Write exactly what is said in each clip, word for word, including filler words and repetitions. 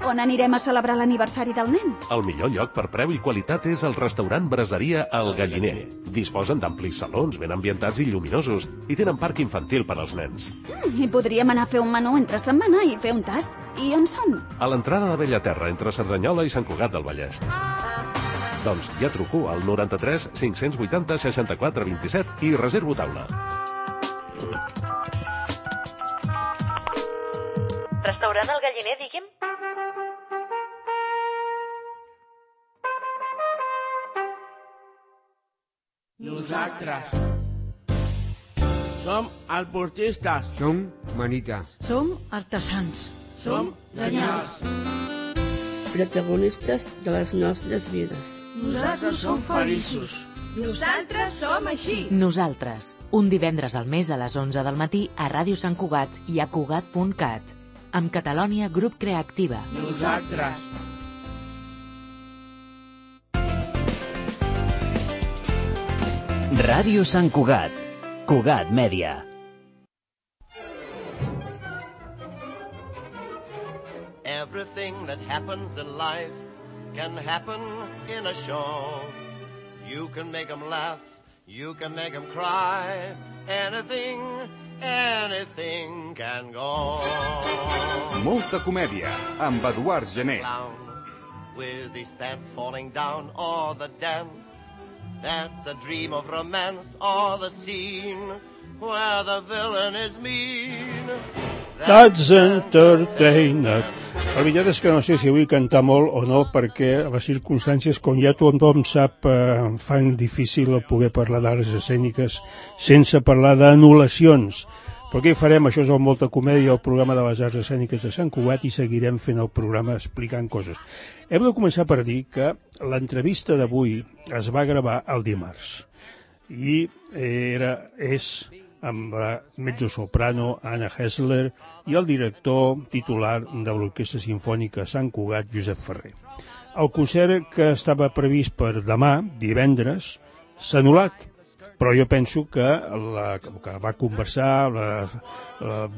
On anirem a celebrar l'aniversari del nen? El millor lloc per preu i qualitat és el restaurant Braseria El Galliner. Disposen d'amplis salons ben ambientats i lluminosos i tenen parc infantil per als nens. Mm, I podríem anar a fer un menú entre setmana i fer un tast. I on són? A l'entrada de Bellaterra, entre Cerdanyola i Sant Cugat del Vallès. Doncs ja truco al noranta-tres cinc-cents vuitanta seixanta-quatre vint-i-set i reservo taula. Restaurant El Galliner, digui'm? Nosaltres som alportistes. Som manita. Som artesans. Som genials. Protagonistes de les nostres vides. Nosaltres som feliços. Nosaltres som així. Nosaltres, un divendres al mes a les onze del matí a Ràdio Sant Cugat i a Cugat punt cat. Amb Catalònia Grup Creativa. Nosaltres. Ràdio Sant Cugat. Cugat Mèdia. Everything that happens in life can happen in a show. You can make them laugh, you can make them cry. Anything, anything can go. Molta comèdia, amb Eduard Gené. With his pants falling down, or the dance that's a dream of romance, or the scene where the villain is mean. That's entertainment. La veritat és que no sé si vull cantar molt o no, perquè les circumstàncies, com ja tothom sap, eh, fan difícil poder parlar d'arts escèniques sense parlar d'anul·lacions. Però què hi farem? Això és el Molta Comèdia, el programa de les arts escèniques de Sant Cugat, i seguirem fent el programa explicant coses. Hem de començar per dir que l'entrevista d'avui es va gravar el dimarts i era, és amb la mezzosoprano Anna Hessler i el director titular de l'Orquestra Simfònica Sant Cugat, Josep Ferrer. El concert que estava previst per demà, divendres, s'ha anul·lat, però jo penso que la que va conversar, la, la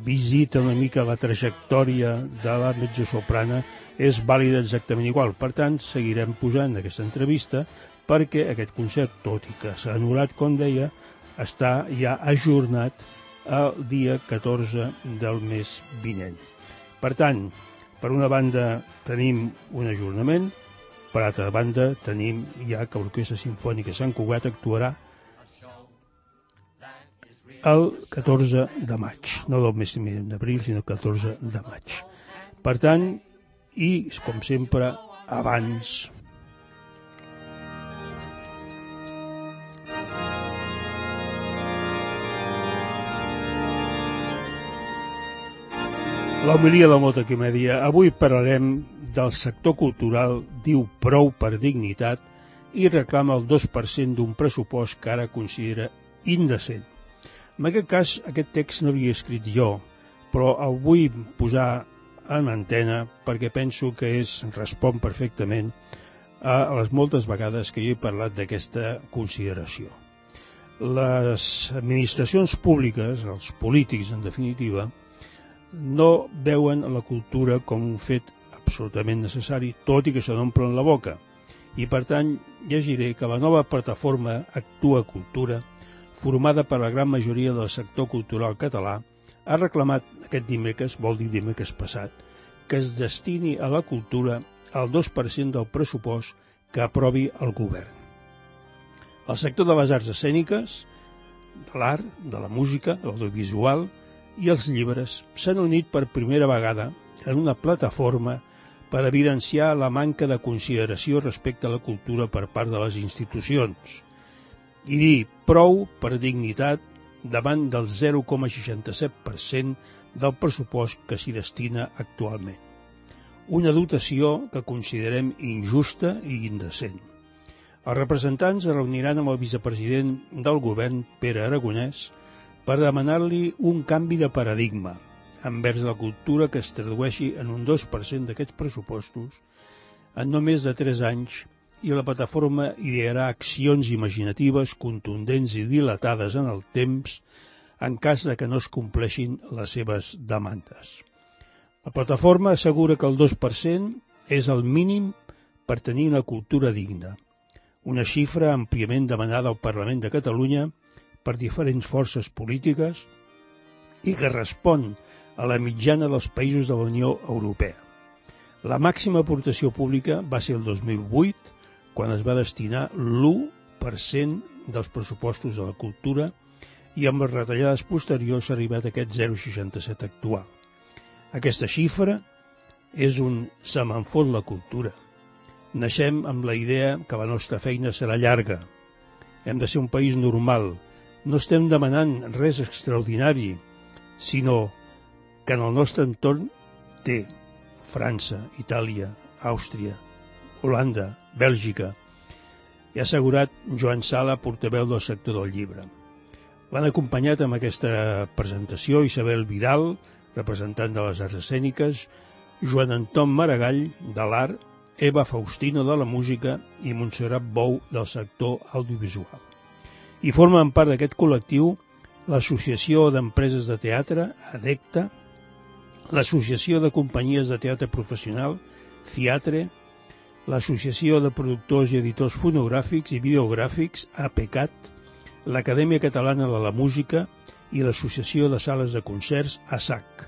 visita una mica, la trajectòria de la mezzosoprana és vàlida exactament igual. Per tant, seguirem posant aquesta entrevista perquè aquest concert, tot i que s'ha anul·lat, com deia, està ja ajornat el dia catorze del mes vinent. Per tant, per una banda tenim un ajornament, per altra banda tenim ja que l'Orquestra Simfònica Sant Cugat actuarà el catorze de maig, no del mes d'abril, sinó el catorze de maig. Per tant, i com sempre, abans l'homilia de Molta Comèdia. Avui parlarem del sector cultural, diu prou per dignitat i reclama el dos per cent d'un pressupost que ara considera indecent. En aquest cas, aquest text no l'he escrit jo, però el vull posar en antena perquè penso que és, respon perfectament a les moltes vegades que jo he parlat d'aquesta consideració. Les administracions públiques, els polítics en definitiva, no veuen la cultura com un fet absolutament necessari, tot i que se n'omplen la boca. I, per tant, llegiré que la nova plataforma Actua Cultura, formada per la gran majoria del sector cultural català, ha reclamat aquest dimecres, vol dir dimecres passat, que es destini a la cultura el dos per cent del pressupost que aprovi el govern. El sector de les arts escèniques, de l'art, de la música, l'audiovisual i els llibres s'han unit per primera vegada en una plataforma per evidenciar la manca de consideració respecte a la cultura per part de les institucions i dir prou per dignitat davant del zero coma seixanta-set per cent del pressupost que s'hi destina actualment. Una dotació que considerem injusta i indecent. Els representants es reuniran amb el vicepresident del govern, Pere Aragonès, per demanar-li un canvi de paradigma envers la cultura que es tradueixi en un dos per cent d'aquests pressupostos en només de tres anys, i la plataforma idearà accions imaginatives, contundents i dilatades en el temps en cas de que no es compleixin les seves demandes. La plataforma assegura que el dos per cent és el mínim per tenir una cultura digna, una xifra àmpliament demanada al Parlament de Catalunya per diferents forces polítiques i que respon a la mitjana dels països de la Unió Europea. La màxima aportació pública va ser el dos mil vuit, quan es va destinar l'u per cent dels pressupostos de la cultura i amb les retallades posteriors s'ha arribat a aquest zero coma seixanta-set actual. Aquesta xifra és un se me'n fot la cultura. Naixem amb la idea que la nostra feina serà llarga. Hem de ser un país normal. No estem demanant res extraordinari, sinó que en el nostre entorn té França, Itàlia, Àustria, Holanda, Bèlgica. I ha assegurat Joan Sala, portaveu del sector del llibre. L'han acompanyat amb aquesta presentació Isabel Vidal, representant de les arts escèniques, Joan Anton Maragall, de l'art, Eva Faustino, de la música, i Montserrat Bou, del sector audiovisual. I formen part d'aquest col·lectiu l'Associació d'Empreses de Teatre, ADECTA, l'Associació de Companyies de Teatre Professional, CIATRE, l'Associació de Productors i Editors Fonogràfics i Videogràfics, APECAT, l'Acadèmia Catalana de la Música i l'Associació de Sales de Concerts, ASAC,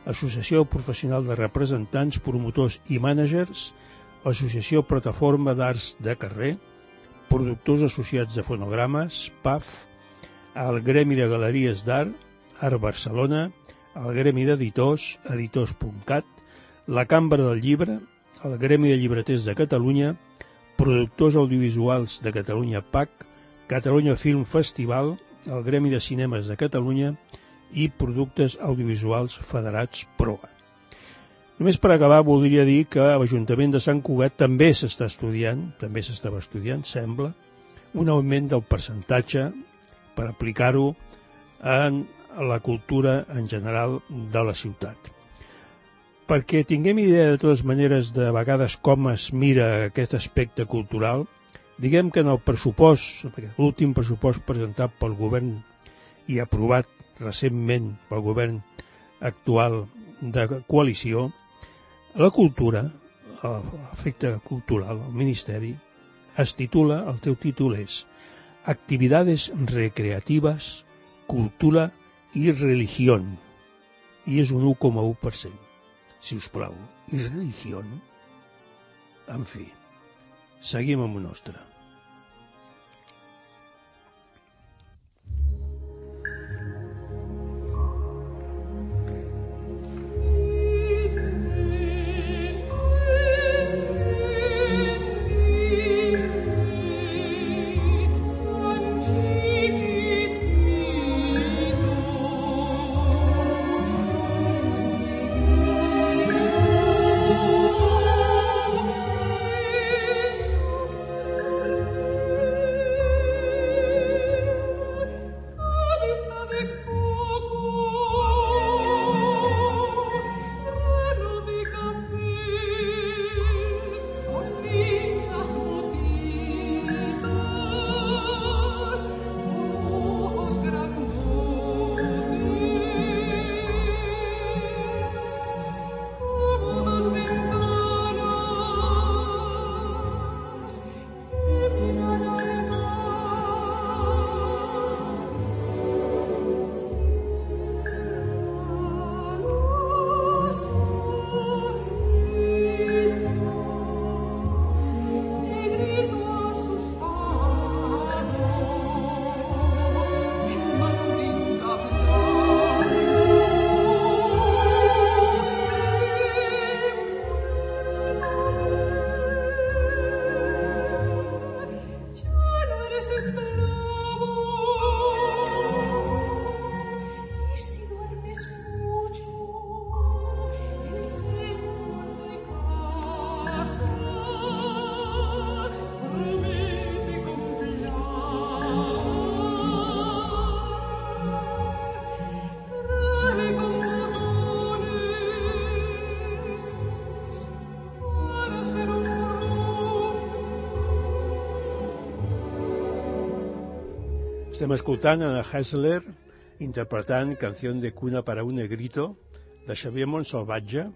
Associació Professional de Representants, Promotors i Mànagers, l'Associació Plataforma d'Arts de Carrer, Productors Associats de Fonogrames, P A F, el Gremi de Galeries d'Art, Art Barcelona, el Gremi d'Editors, editors punt cat, la Cambra del Llibre, el Gremi de Llibreters de Catalunya, Productors Audiovisuals de Catalunya, P A C, Catalunya Film Festival, el Gremi de Cinemes de Catalunya i Productes Audiovisuals Federats, PROA. Només per acabar, voldria dir que a l'Ajuntament de Sant Cugat també s'està estudiant, també s'estava estudiant, sembla, un augment del percentatge per aplicar-ho en la cultura en general de la ciutat. Perquè tinguem idea de totes maneres de vegades com es mira aquest aspecte cultural, diguem que en el pressupost, l'últim pressupost presentat pel govern i aprovat recentment pel govern actual de coalició, la cultura, l'efecte cultural, el Ministeri, es titula, el teu títol és Actividades recreativas, cultura i religión, i és un u coma u per cent. Si us plau, i religió? En fi, seguim amb el nostre. Estem escoltant Anna Hessler interpretant Canción de cuna para un negrito de Xavier Montsalvatge,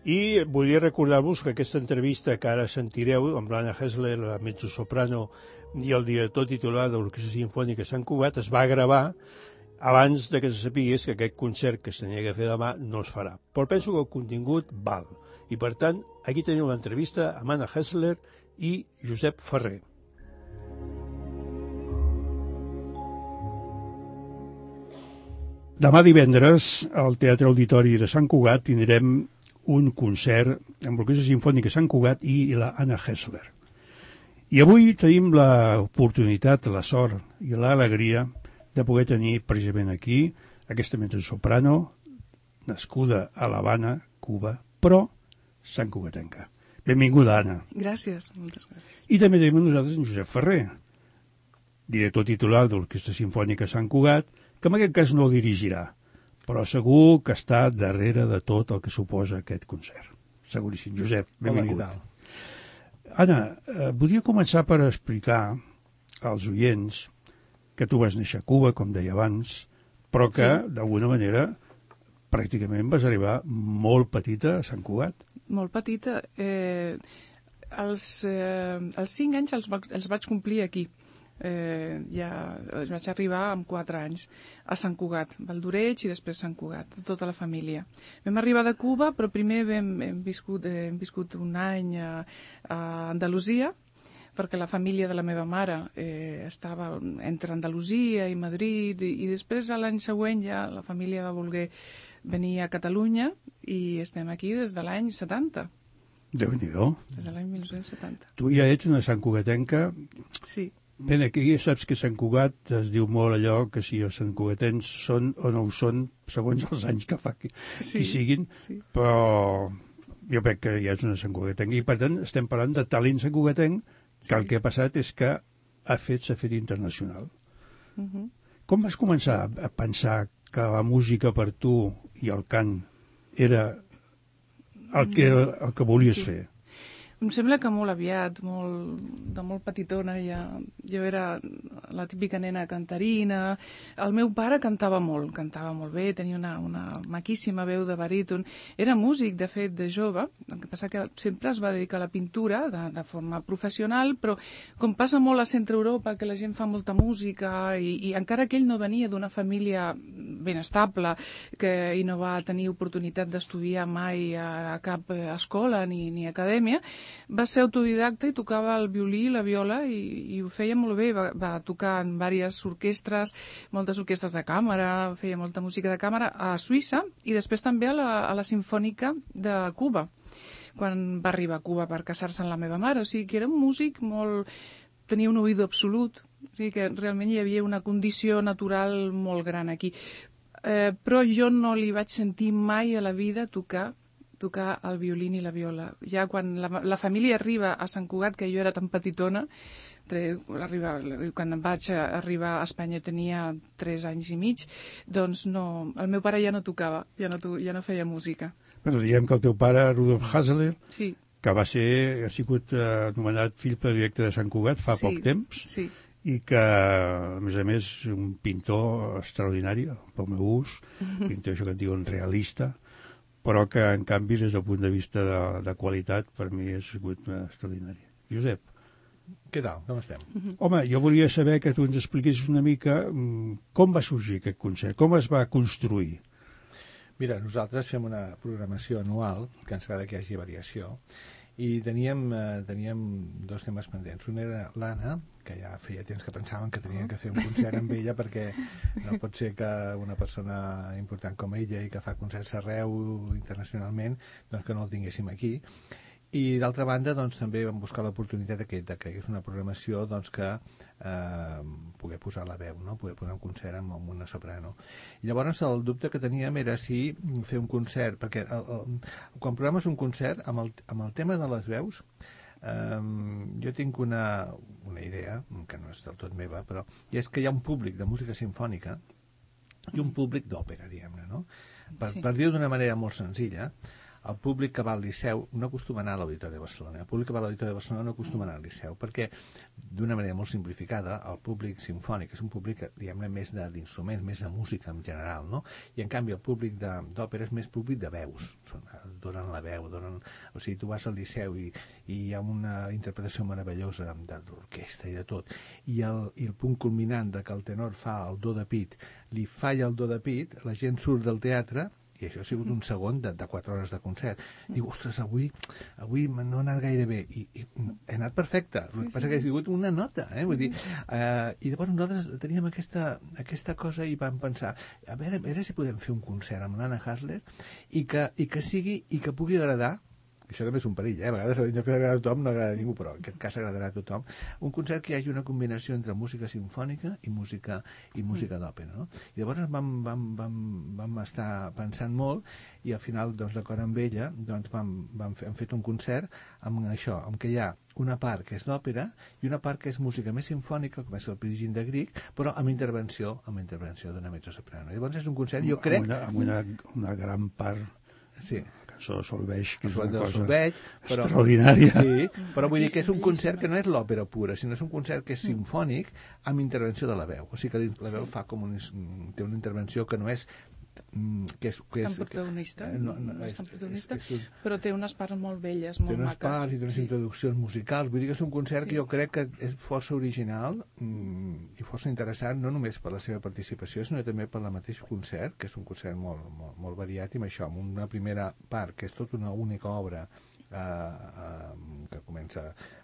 I volia recordar-vos que aquesta entrevista que ara sentireu amb l'Anna Hessler, la mezzosoprano i el director titular de l'Orquestra Simfònica Sant Cugat, es va gravar abans de que se sapigués que aquest concert que s'havia de fer demà no es farà. Però penso que el contingut val. I per tant, aquí teniu l'entrevista amb Anna Hessler i Josep Ferrer. Demà divendres, al Teatre Auditori de Sant Cugat, tindrem un concert amb l'Orquestra Simfònica Sant Cugat i la Anna Hessler. I avui tenim l'oportunitat, la sort i l'alegria de poder tenir precisament aquí aquesta mezzosoprano nascuda a l'Havana, Cuba, però Sant Cugatenca. Benvinguda, Anna. Gràcies, moltes gràcies. I també tenim amb nosaltres en Josep Ferrer, director titular de l'Orquestra Simfònica Sant Cugat, que en aquest cas no el dirigirà, però segur que està darrere de tot el que suposa aquest concert. Seguríssim. Josep, benvingut. Hola, què tal? Anna, eh, volia començar per explicar als oients que tu vas néixer a Cuba, com deia abans, però que, sí, d'alguna manera, pràcticament vas arribar molt petita a Sant Cugat. Molt petita. Eh, els, eh, els cinc anys els, va, els vaig complir aquí. Eh, ja vaig arribar amb quatre anys a Sant Cugat, Valdoreig i després Sant Cugat, tota la família. Vam arribar de Cuba, però primer vam, hem, viscut, eh, hem viscut un any a, a Andalusia, perquè la família de la meva mare eh, estava entre Andalusia i Madrid, i, i després l'any següent ja la família va voler venir a Catalunya i estem aquí des de l'any setanta. Déu-n'hi-do. Des de l'any mil nou-cents setanta. Tu ja ets una santcugatenca. Sí. Bé, aquí ja saps que Sant Cugat es diu molt allò que si els santcugatens són o no ho són, segons els anys que fa que, sí, que siguin, sí, però jo crec que ja és una santcugatenca. I per tant estem parlant de talent santcugatenc, que sí, el que ha passat és que ha fet s'ha fet internacional. Uh -huh. Com vas començar a pensar que la música per tu i el cant era el que, el que volies sí. fer? Em sembla que molt aviat, molt, de molt petitona, ja, jo era la típica nena cantarina. El meu pare cantava molt, cantava molt bé, tenia una, una maquíssima veu de baríton. Era músic, de fet, de jove, el que passa que sempre es va dedicar a la pintura de, de forma professional, però com passa molt a Centre Europa, que la gent fa molta música, i, i encara que ell no venia d'una família ben estable, que, i no va tenir oportunitat d'estudiar mai a, a cap escola ni, ni acadèmia, va ser autodidacta i tocava el violí i la viola i, i ho feia molt bé. Va, va tocar en diverses orquestres, moltes orquestres de càmera, feia molta música de càmera a Suïssa i després també a la, a la Simfònica de Cuba, quan va arribar a Cuba per casar-se amb la meva mare. O sigui que era un músic molt... tenia un oïdo absolut, o sigui que realment hi havia una condició natural molt gran aquí. Eh, però jo no li vaig sentir mai a la vida tocar tocar el violí i la viola. Ja quan la, la família arriba a Sant Cugat, que jo era tan petitona, tre, arriba, quan em vaig arribar a Espanya tenia tres anys i mig, doncs no, el meu pare ja no tocava, ja no, ja no feia música. Però diguem que el teu pare, Rudolf Hessler, sí, que va ser, ha sigut eh, anomenat fill predilecte de Sant Cugat fa sí, poc temps, sí, i que, a més a més, un pintor extraordinari, pel meu ús, pintor, això que en diuen realista, però que, en canvi, des del punt de vista de, de qualitat, per mi ha sigut extraordinari. Josep. Què tal? Com estem? Home, jo volia saber que tu ens expliquessis una mica com va sorgir aquest concert, com es va construir. Mira, nosaltres fem una programació anual, que ens agrada que hi hagi variació, i teníem, eh, teníem dos temes pendents. Un era l'Anna, que ja feia temps que pensaven que tenien que fer un concert amb ella, perquè no pot ser que una persona important com ella i que fa concerts arreu internacionalment, doncs que no el tinguéssim aquí. I d'altra banda, doncs, també vam buscar l'oportunitat de que és una programació doncs, que eh, poder posar la veu, no? Poder posar un concert amb, amb una soprano. I llavors el dubte que teníem era si fer un concert, perquè el, el, quan programes un concert amb el, amb el tema de les veus, eh, jo tinc una, una idea, que no és del tot meva, però i és que hi ha un públic de música simfònica i un públic d'òpera, diguem-ne, no? Per, sí. per dir-ho d'una manera molt senzilla, el públic que va al Liceu no acostuma a anar a l'Auditori de Barcelona. El públic que va a l'Auditori de Barcelona no acostuma a anar al Liceu, perquè, d'una manera molt simplificada, el públic simfònic és un públic, diguem-ne, més d'instruments, més de música en general, no? I, en canvi, el públic d'òpera és més públic de veus. Donen la veu, donen... O sigui, tu vas al Liceu i, i hi ha una interpretació meravellosa de l'orquestra i de tot, i el, i el punt culminant de que el tenor fa el do de pit, li falla el do de pit, la gent surt del teatre, i això ha sigut un segon de, de quatre hores de concert. Diu, ostres, avui, avui no ha anat gaire bé. I, i he anat perfecte. El que passa que ha sigut una nota, eh? Vull dir, eh, i llavors nosaltres teníem aquesta, aquesta cosa i vam pensar, a veure, a veure si podem fer un concert amb l'Anna Hasler i que, i que sigui, i que pugui agradar. Això també és un perill, eh? A vegades allò que agrada a tothom no agrada a ningú, però en aquest cas agradarà a tothom. Un concert que hi hagi una combinació entre música simfònica i música i música d'òpera, no? I llavors vam, vam, vam, vam estar pensant molt i al final, doncs, d'acord amb ella, doncs vam, vam fer, hem fet un concert amb això, amb què hi ha una part que és d'òpera i una part que és música més simfònica, com és el Pirigin de Grieg, però amb intervenció, amb intervenció d'una mezzosoprano. Llavors és un concert, jo crec... Amb una, amb una, una gran part... Sí. Solveig, que és una cosa solveig, però, extraordinària. Sí, però vull dir que és un concert que no és l'òpera pura, sinó és un concert que és simfònic amb intervenció de la veu. O sigui que la veu fa com un, té una intervenció que no és que és, que és, tan protagonista, que, no, no, no és tan protagonista, és, és, però té unes parts molt belles, molt té unes maques. parts i té unes sí. introduccions musicals. Vull dir que és un concert sí. que jo crec que és força original mm, i força interessant, no només per la seva participació, sinó també per la mateix concert, que és un concert molt, molt, molt variat, i amb això, amb una primera part, que és tota una única obra, Uh, uh, que comença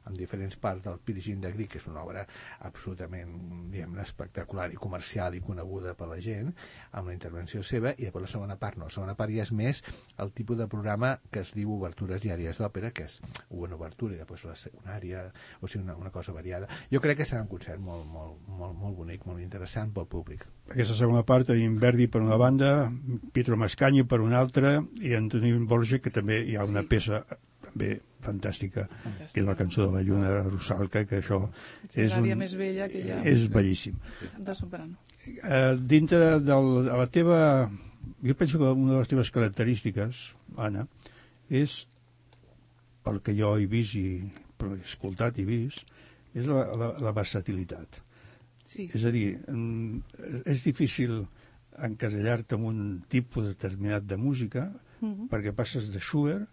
amb diferents parts del Pirigin de Grieg, que és una obra absolutament, diguem-ne, espectacular i comercial i coneguda per la gent, amb la intervenció seva, i després la segona part no. La segona part ja és més el tipus de programa que es diu obertures diàries d'òpera, que és una obertura i després la secundària, o sigui, una, una cosa variada. Jo crec que serà un concert molt, molt, molt, molt bonic, molt interessant pel públic. Aquesta segona part tenim Verdi per una banda, Pietro Mascagni per una altra, i Antonín Borja, que també hi ha una sí. peça també fantàstica, fantàstica, que és la cançó de la lluna Rusalka, que això sí, és, un, més bella que ja... és bellíssim. De soprano. Uh, dintre del, de la teva... Jo penso que una de les teves característiques, Anna, és, pel que jo he vist i he escoltat i vist, és la, la, la versatilitat. Sí. És a dir, és difícil encasellar-te en un tipus determinat de música, uh-huh. perquè passes de Schubert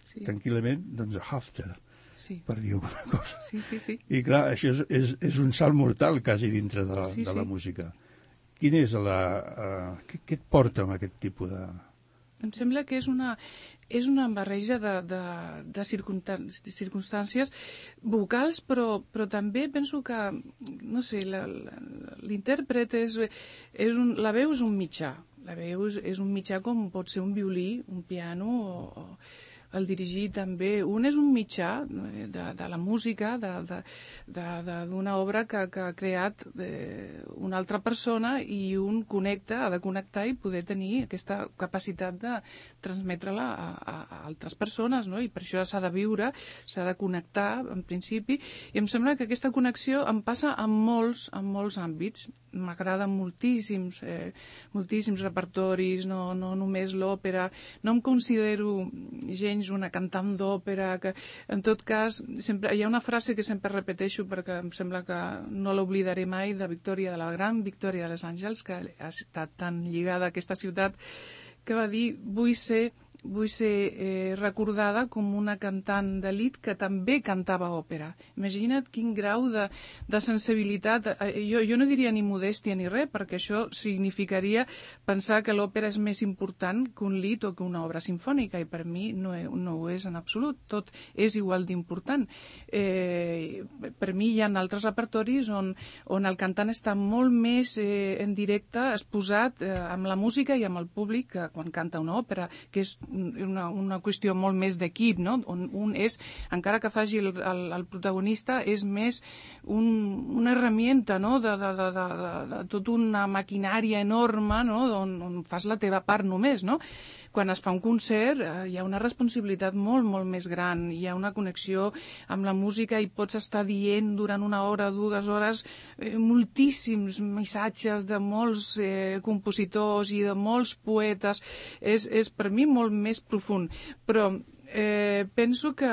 sí. tranquil·lament, doncs a Hafter, sí. per dir alguna cosa. Sí, sí, sí. I clar, això és, és, és un salt mortal quasi dintre de, sí, de la sí. música. Quin és la... Uh, què, què et porta amb aquest tipus de... Em sembla que és una, és una barreja de, de, de circumstàncies vocals, però, però també penso que, no sé, l'intèrpret és, és un, la veu és un mitjà. La veu és, és un mitjà com pot ser un violí, un piano o... o el dirigir també. Un és un mitjà de, de la música, d'una obra que, que ha creat eh, una altra persona, i un connecta, ha de connectar i poder tenir aquesta capacitat de transmetre-la a, a, a altres persones, no? I per això s'ha de viure, s'ha de connectar, en principi, i em sembla que aquesta connexió em passa en molts, en molts àmbits. M'agraden moltíssims, eh, moltíssims repertoris, no, no només l'òpera. No em considero gens una cantant d'òpera, que en tot cas sempre, hi ha una frase que sempre repeteixo perquè em sembla que no l'oblidaré mai, de Victòria, de la gran Victòria de los Àngels, que ha estat tan lligada a aquesta ciutat, que va dir: vull ser vull ser eh, recordada com una cantant d'elit que també cantava òpera. Imagina't quin grau de, de sensibilitat. Eh, jo, jo no diria ni modèstia ni res, perquè això significaria pensar que l'òpera és més important que un lit o que una obra simfònica, i per mi no, no ho és en absolut. Tot és igual d'important. Eh, per mi hi ha altres repertoris on, on el cantant està molt més eh, en directe, exposat eh, amb la música i amb el públic, que quan canta una òpera, que és Una, una qüestió molt més d'equip, no? On un és, encara que faci el, el, el protagonista, és més un, una herramienta, no? de, de, de, de, de tota una maquinària enorme, no? on, on fas la teva part només, no? quan es fa un concert eh, hi ha una responsabilitat molt, molt més gran, hi ha una connexió amb la música i pots estar dient durant una hora, dues hores, eh, moltíssims missatges de molts eh, compositors i de molts poetes. És, és per mi molt més profund. Però eh, penso que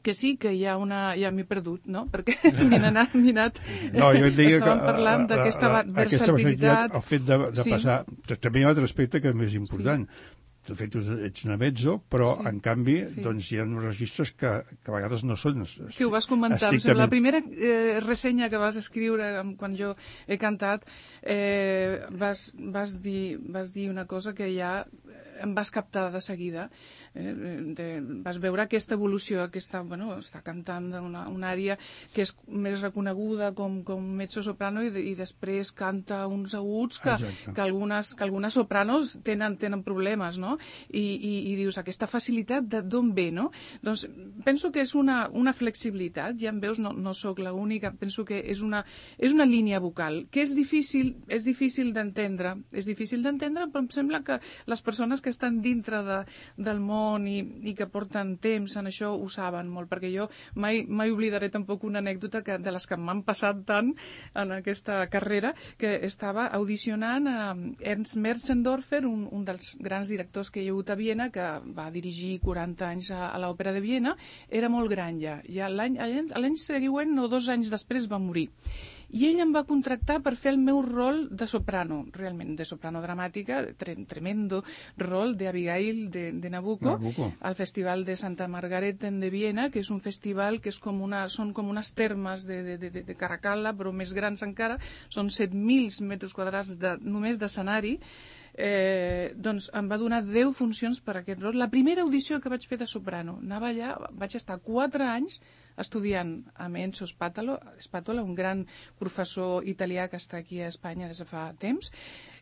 que sí, que hi ha una... ja m'he perdut, no? Perquè m'he anat... anat no, jo et deia estàvem que, parlant d'aquesta versatilitat. El fet de, de sí. passar... També hi ha un altre aspecte que és més important. Sí. De fet, ets una mezzo, però, sí. en canvi, sí. doncs hi ha uns registres que, que a vegades no són... Que ho vas comentar. Estrictament... La primera eh, ressenya que vas escriure quan jo he cantat, eh, vas, vas, dir, vas dir una cosa que ja em vas captar de seguida. Eh, de, vas veure aquesta evolució, aquesta, bueno, està cantant una, una àrea que és més reconeguda com, com mezzo-soprano i, de, i després canta uns aguts que, que, algunes, que algunes sopranos tenen, tenen problemes, no? I, i, i dius, aquesta facilitat d'on ve, no? Doncs penso que és una, una flexibilitat, ja em veus, no, no sóc l'única, penso que és una, és una línia vocal, que és difícil, és difícil d'entendre, és difícil d'entendre, però em sembla que les persones que estan dintre de, del món I, i que porten temps en això ho saben molt, perquè jo mai, mai oblidaré tampoc una anècdota que, de les que m'han passat tant en aquesta carrera, que estava audicionant a Ernst Merzendorfer, un, un dels grans directors que hi ha hagut a Viena, que va dirigir quaranta anys a, a l'Òpera de Viena. Era molt gran ja, ja l'any, l'any següent o dos anys després va morir. I ell em va contractar per fer el meu rol de soprano, realment, de soprano dramàtica, tre tremendo rol d'Abigail de, de Nabucco, Nabucco, al Festival de Santa Margareten de Viena, que és un festival que és com una, són com unes termes de, de, de, de Caracalla, però més grans encara, són set mil metres quadrats de, només d'escenari. Eh, doncs em va donar deu funcions per aquest rol. La primera audició que vaig fer de soprano, anava allà, vaig estar quatre anys estudiant amb Enzo Spatola, un gran professor italià que està aquí a Espanya des de fa temps,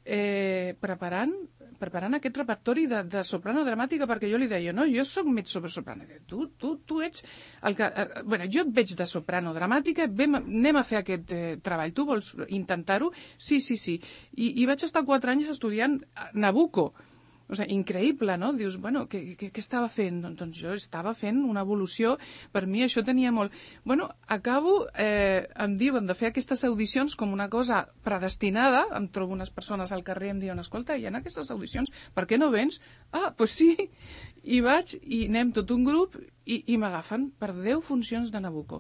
eh, preparant, preparant aquest repertori de, de soprano dramàtica, perquè jo li deia, no, jo soc mezzo-soprano. Tu, tu, tu ets el que... Eh, bueno, jo et veig de soprano dramàtica, vem, anem a fer aquest eh, treball. Tu vols intentar-ho? Sí, sí, sí. I, i vaig estar quatre anys estudiant Nabucco. O sigui, increïble, no? Dius, bueno, què, què, què estava fent? Doncs jo estava fent una evolució, per mi això tenia molt... Bueno, acabo, eh, em diuen de fer aquestes audicions com una cosa predestinada, em trobo unes persones al carrer i em diuen, escolta, hi ha aquestes audicions, per què no vens? Ah, doncs pues sí, i vaig, i anem tot un grup, i, i m'agafen per deu funcions de Nabucco.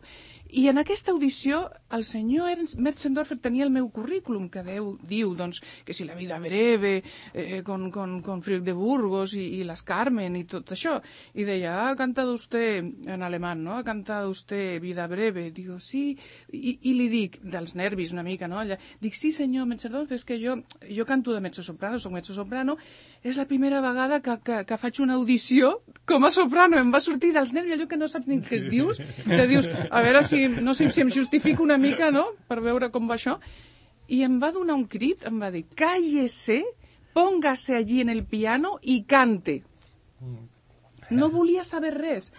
I en aquesta audició el senyor Ernst Merzendorfer tenia el meu currículum, que Déu diu doncs, que si la vida breve, eh, con, con, con Friedrich de Burgos i, i les Carmen i tot això. I deia, ha cantado usted, en alemán, ¿no? Ha cantado usted vida breve. Digo, sí. I, i li dic, dels nervis una mica, no? Allà, dic, sí senyor Merzendorfer, és que jo, jo canto de mezzo-soprano, soc mezzo-soprano, és la primera vegada que, que, que faig una audició com a soprano, em va sortir dels nervis, allò que no saps ni què es dius, que dius, a veure si, no sé si em justifico una mica, no?, per veure com va això, i em va donar un crit, em va dir, cállese, póngase allí en el piano i cante. No volia saber res.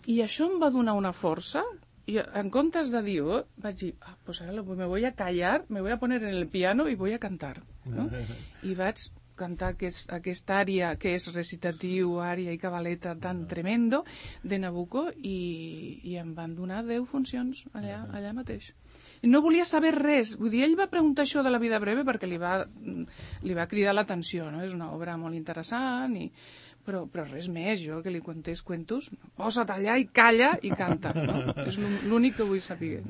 I això em va donar una força, i en comptes de dir, oh, vaig dir, ah, pues ara me voy a callar, me voy a poner en el piano y voy a cantar, no? I vaig cantar aquest, aquesta àrea que és recitatiu, àrea i cabaleta tan tremendo de Nabucco i, i em van donar deu funcions allà, allà mateix. I no volia saber res. Vull dir, ell va preguntar això de la vida breve perquè li va, li va cridar l'atenció, no? És una obra molt interessant, i, però, però res més. Jo que li contés cuentos, posa't allà i calla i canta, no? És l'únic que vull saber.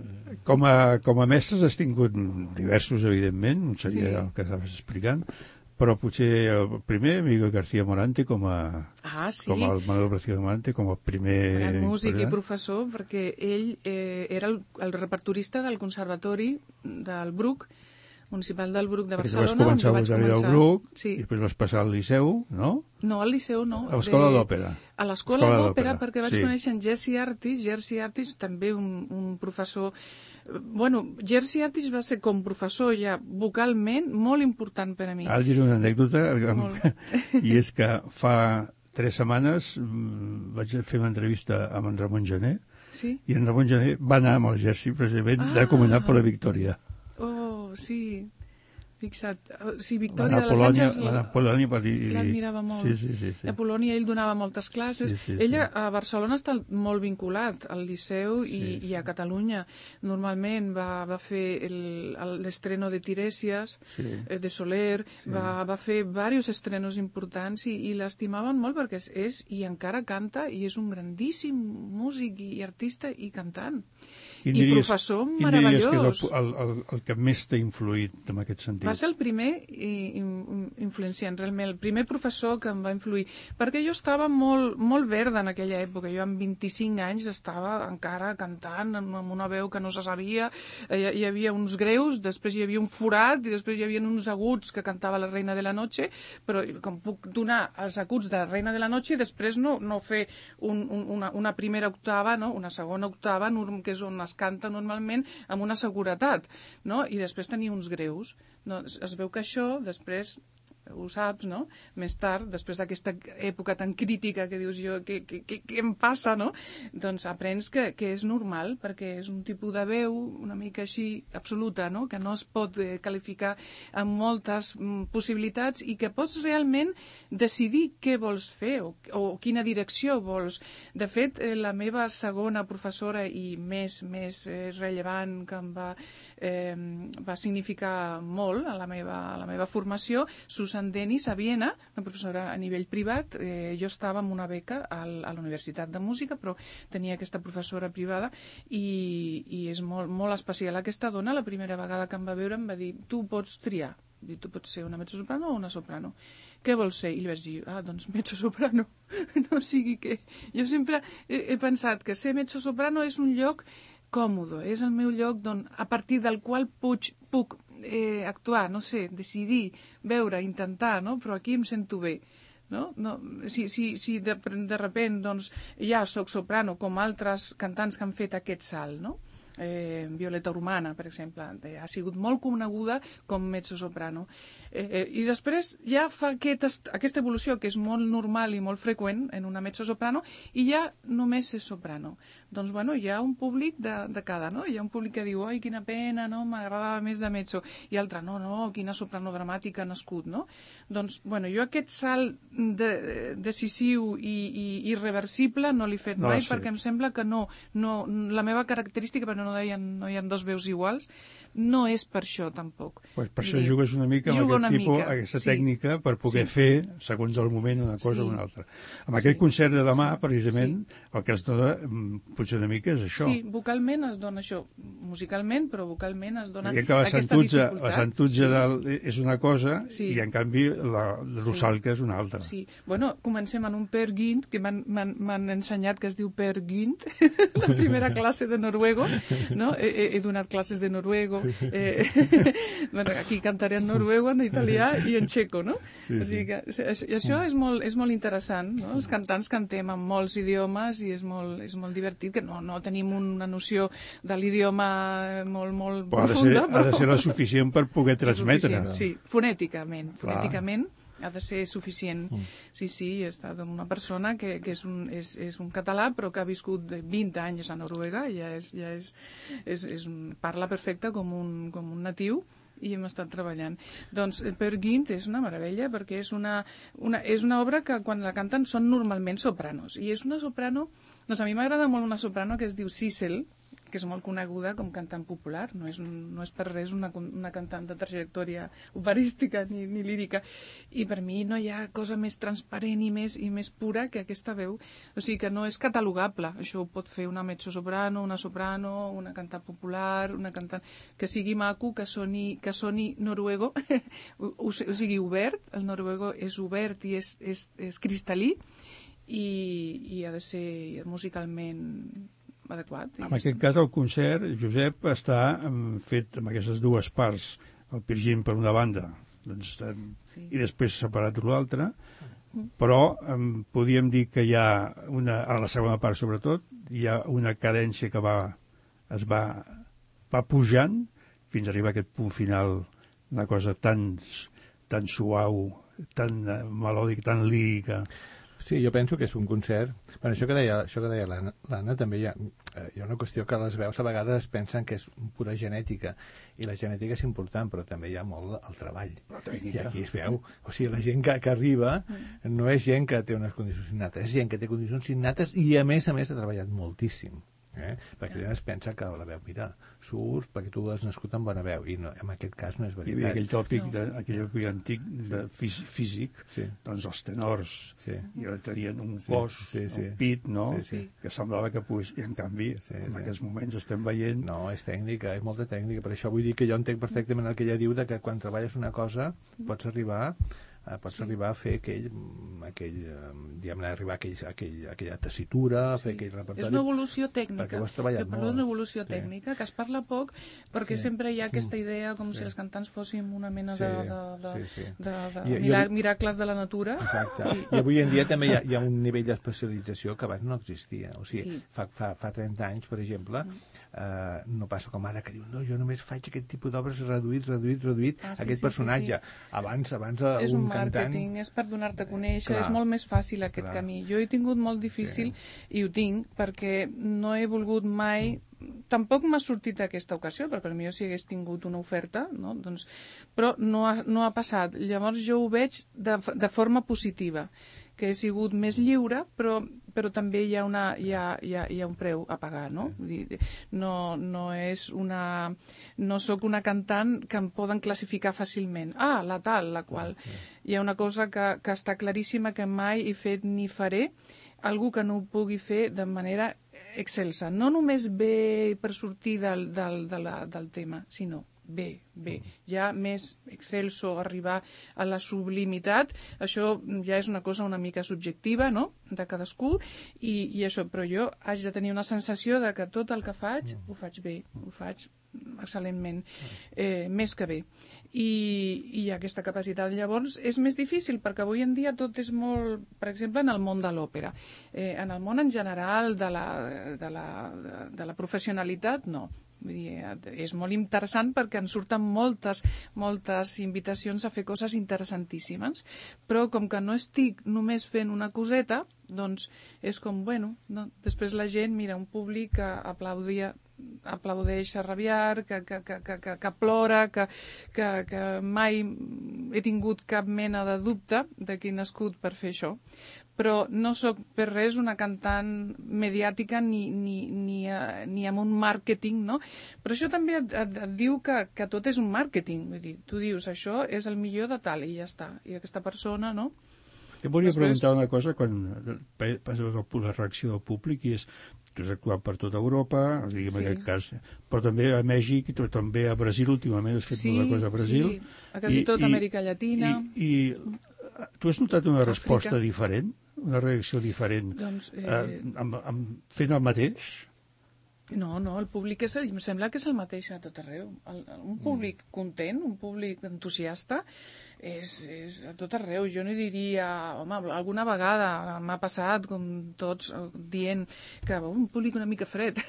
Com a, com a mestres has tingut diversos, evidentment, seria sí. El que estaves explicant, però potser el primer, Miguel García Morante, com a, ah, sí. com el Manuel García Morante, com el primer... Gran músic i professor, perquè ell eh, era el, el repertorista del Conservatori del Bruc, Municipal del Bruc de Barcelona. Perquè vas començar a l'Usari del Bruc, sí. I després vas passar al Liceu, no? No, al Liceu no. A l'Escola de... d'Òpera. A l'Escola d'Òpera, perquè vaig sí. conèixer en Jerzy Artis, Jerzy Artis, també un, un professor... Bueno, Jerzy Artis va ser com professor ja vocalment molt important per a mi. Ara diré una anècdota, i és que fa tres setmanes vaig fer una entrevista amb en Ramon Gené, sí? I en Ramon Gené va anar amb el Jerzy precisament ah. recomanat per la Victòria. Oh, sí. fixa't. Sí, Victòria de les Àngels... La Polònia va dir... L'admirava molt. Sí, sí, sí, sí. A Polònia ell donava moltes classes. Sí, sí, Ella sí. a Barcelona està molt vinculat al Liceu i, Sí, i a Catalunya. Normalment va, va fer l'estreno de Tiresias, sí. eh, de Soler, Sí. va, va fer diversos estrenos importants i, i l'estimaven molt perquè és, és i encara canta i és un grandíssim músic i, i artista i cantant. Quin I diries, professor quin meravellós. Quin diries que és el, el, el, el que més t'ha influït en aquest sentit? Va ser el primer influenciant, realment, el primer professor que em va influir, perquè jo estava molt, molt verda en aquella època. Jo amb vint-i-cinc anys estava encara cantant amb una veu que no se sabia, hi, hi havia uns greus, després hi havia un forat i després hi havia uns aguts que cantava la Reina de la Noche, però com puc donar els aguts de la Reina de la Noche i després no, no fer un, un, una, una primera octava, no? Una segona octava, que és on es canta normalment amb una seguretat, no? I després tenia uns greus. No, es veu que això després ho saps, no? Més tard, després d'aquesta època tan crítica que dius jo, què, què, què, què em passa, no? Doncs aprens que, que és normal, perquè és un tipus de veu una mica així absoluta, no? Que no es pot eh, qualificar amb moltes mm, possibilitats i que pots realment decidir què vols fer o, o quina direcció vols. De fet, eh, la meva segona professora i més, més eh, rellevant que em va, eh, va significar molt a la meva, a la meva formació, Susan Denis a Viena, una professora a nivell privat. Eh, jo estava amb una beca al, a la Universitat de Música, però tenia aquesta professora privada i, i és molt, molt especial. Aquesta dona, la primera vegada que em va veure, em va dir, tu pots triar, tu pots ser una mezzosoprano o una soprano. Què vols ser? I li vaig dir, ah, doncs mezzosoprano. No sigui que... Jo sempre he, he pensat que ser mezzosoprano és un lloc còmode, és el meu lloc don, a partir del qual puig, puc eh, actuar, no sé, decidir, veure, intentar, no? Però aquí em sento bé. No? No, si si, si de, de repent doncs, ja soc soprano, com altres cantants que han fet aquest salt, no? Eh, Violeta Urmana, per exemple, eh, ha sigut molt coneguda com mezzosoprano. Eh, eh, I després ja fa aquest, aquesta evolució, que és molt normal i molt freqüent en una mezzosoprano, i ja només és soprano. Doncs, bueno, hi ha un públic de, de cada, no? Hi ha un públic que diu, oi, quina pena, no? M'agradava més de mezzo. I altre, no, no, quina soprano dramàtica ha nascut, no? Doncs, bueno, jo aquest salt de, decisiu i, i irreversible no l'he fet no, mai, sí. perquè em sembla que no, no, la meva característica, però no hi ha, no hi ha dos veus iguals, no és per això tampoc. Pues per això jugues una mica amb Jugo aquest tipus, mica, aquesta sí. tècnica per poder sí. fer, segons el moment, una cosa sí. o una altra. Amb sí. aquest concert de demà, precisament, sí. el que es dona potser una mica és això. Sí, vocalment es dona això, musicalment, però vocalment es dona que la aquesta santutza, dificultat. La santutza sí. del, és una cosa sí. i, en canvi, la rosalca sí. és una altra. Sí. Bueno, comencem en un Per Gynt, que m'han ensenyat que es diu Per Gynt, la primera classe de noruego, no? He, he donat classes de noruego, eh, bueno, aquí cantaré en noruego, en italià i en txeco, no? Sí, o sigui que, i això és molt, és molt interessant, no? Els cantants cantem en molts idiomes i és molt, és molt divertit, que no, no tenim una noció de l'idioma molt, molt però profunda. Ha de, ser, però... ha de ser la suficient per poder transmetre. Sí, fonèticament, fonèticament. Ha de ser suficient. Mm. Sí, sí, he estat amb una persona que, que és, un, és, és un català, però que ha viscut vint anys a Noruega, i ja és, ja és, és, és un, parla perfecte com un, com un natiu, i hem estat treballant. Doncs Per Gynt és una meravella, perquè és una, una, és una obra que quan la canten són normalment sopranos, i és una soprano, doncs a mi m'agrada molt una soprano que es diu Sissel, que és molt coneguda com cantant popular, no és, no és per res una, una cantant de trajectòria operística ni, ni lírica, i per mi no hi ha cosa més transparent i més, i més pura que aquesta veu, o sigui que no és catalogable, això ho pot fer una mezzosoprano, una soprano, una cantant popular, una cantant que sigui maco, que soni, que soni noruego, o, o sigui obert, el noruego és obert i és, és, és cristal·lí, i, i ha de ser musicalment adequat. En aquest cas, el concert, Josep, està fet amb aquestes dues parts, el Per Gynt per una banda, doncs, sí. i després separat per l'altra, mm. però em, podríem dir que hi ha, una, a la segona part sobretot, hi ha una cadència que va, es va, va pujant fins a arribar a aquest punt final, una cosa tan, tan suau, tan melòdica, tan lírica. Sí, jo penso que és un concert... Bueno, això que deia, això que deia l'Anna, també hi ha, eh, hi ha una qüestió que les veus a vegades es pensen que és pura genètica, i la genètica és important, però també hi ha molt el treball. I aquí es veu. O sigui, la gent que, que arriba no és gent que té unes condicions innates, és gent que té condicions innates i, a més a més, ha treballat moltíssim. Eh? Perquè ja es pensa que la veu, mira, surts perquè tu has nascut amb bona veu, i no, en aquest cas no és veritat. Hi havia aquell tòpic, no. de, aquell tòpic antic de fís, físic, sí. doncs els tenors sí. i tenien un sí. cos, sí, sí. un pit, no? Sí, sí. Que semblava que pogués, i en canvi, sí, en sí. aquests moments estem veient... No, és tècnica, és molta tècnica, per això vull dir que jo entenc perfectament el que ella diu, de que quan treballes una cosa pots arribar... pots sí. arribar a fer aquell, aquell diguem-ne, arribar a, aquell, a, aquell, a aquella tessitura, a fer sí. aquell repertori... És una evolució tècnica. Perquè ho has treballat jo parlo molt. d'una evolució sí. tècnica, que es parla poc, perquè sí. sempre hi ha aquesta idea com sí. si els cantants fóssim una mena sí. de, de, de, sí, sí. de, de I, mira, jo... miracles de la natura. Exacte. I, I avui en dia també hi ha, hi ha un nivell d'especialització que abans no existia. O sigui, sí. fa, fa, fa trenta anys, per exemple, mm. eh, no passa com ara, que diu, no, jo només faig aquest tipus d'obres reduït, reduït, reduït, ah, sí, aquest sí, personatge. Sí, sí. Abans, abans és un, un cantant... Marketing, és per donar-te a conèixer, clar, és molt més fàcil aquest clar. camí. Jo he tingut molt difícil, sí. i ho tinc, perquè no he volgut mai... Tampoc m'ha sortit aquesta ocasió, perquè potser si hagués tingut una oferta, no? doncs, però no ha, no ha passat. Llavors jo ho veig de, de forma positiva, que he sigut més lliure, però, però també hi ha, una, hi, ha, hi, ha, hi ha un preu a pagar, no? Vull dir, no, no és una... No sóc una cantant que em poden classificar fàcilment. Ah, la tal, la qual. Hi ha una cosa que, que està claríssima, que mai he fet ni faré, algú que no ho pugui fer de manera excelsa. No només bé per sortir del, del, de la, del tema, sinó bé, bé. Ja més excelso, arribar a la sublimitat, això ja és una cosa una mica subjectiva, no?, de cadascú, i, i això, però jo haig de tenir una sensació de que tot el que faig ho faig bé, ho faig excel·lentment, eh, més que bé. I, i aquesta capacitat, llavors, és més difícil, perquè avui en dia tot és molt, per exemple, en el món de l'òpera. Eh, en el món en general de la, de la, de la professionalitat, no. Vull dir, és molt interessant perquè en surten moltes, moltes invitacions a fer coses interessantíssimes, però com que no estic només fent una coseta, doncs és com, bueno, no? Després la gent mira un públic que aplaudia, aplaudeix a rabiar, que, que, que, que, que plora, que, que, que mai he tingut cap mena de dubte de qui he nascut per fer això. Però no sóc per res una cantant mediàtica ni, ni, ni, ni amb un màrqueting, no? Però això també et, et, et diu que, que tot és un màrqueting. Vull dir, tu dius, això és el millor de tal, i ja està. I aquesta persona, no? Jo volia Després... preguntar una cosa, quan passa la reacció del públic, i és, tu has actuat per tota Europa, diguem sí. en aquest cas, però també a Mèxic, i també a Brasil, últimament has fet sí, una cosa a Brasil. Sí, a quasi tota Amèrica Llatina. I, i tu has notat una resposta Àfrica. diferent? Una reacció diferent, doncs, eh... eh, amb, amb, fent el mateix? No, no, el públic és, em sembla que és el mateix a tot arreu. El, un públic mm. content, un públic entusiasta, és, és a tot arreu. Jo no diria, home, alguna vegada m'ha passat, com tots, dient que oh, un públic una mica fred.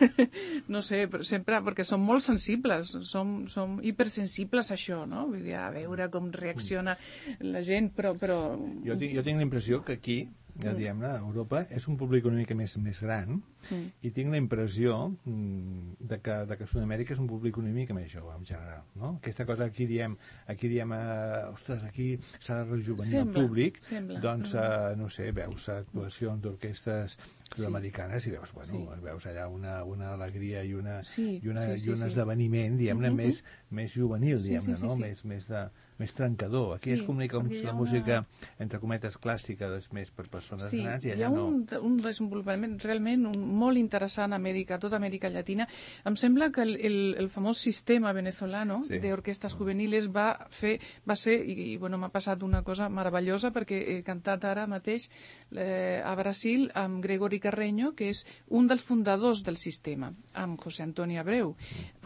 No sé, però sempre, perquè som molt sensibles, som, som hipersensibles a això, no? Vull dir, a veure com reacciona la gent, però... però... Jo tinc, jo tinc la impressió que aquí, ja diguem-ne, Europa és un públic una mica més, més gran mm. i tinc la impressió mm, de, que, de que Sud-amèrica és un públic una mica més jove en general, no? Aquesta cosa aquí diem, aquí diem eh, ostres, aquí s'ha de rejuvenir el públic, sembla. Doncs, eh, no sé, veus actuacions d'orquestres sud-americanes sí. i veus, bueno, sí. veus allà una, una alegria i, una, sí, i, una, sí, sí, i un sí. esdeveniment, diguem-ne, mm-hmm. més, més juvenil, diguem-ne, sí, sí, sí, no? sí. Més, més de... més trencador. Aquí sí, es comunica com si la música, una... entre cometes, clàssica, és més per persones sí, grans, i allà hi ha un, no. un desenvolupament realment un, molt interessant a Amèrica, a tota Amèrica Llatina. Em sembla que el, el, el famós sistema venezolano sí. d'orquestes juveniles va fer, va ser, i, i bueno, m'ha passat una cosa meravellosa, perquè he cantat ara mateix eh, a Brasil amb Gregory Carreño, que és un dels fundadors del sistema, amb José Antonio Abreu.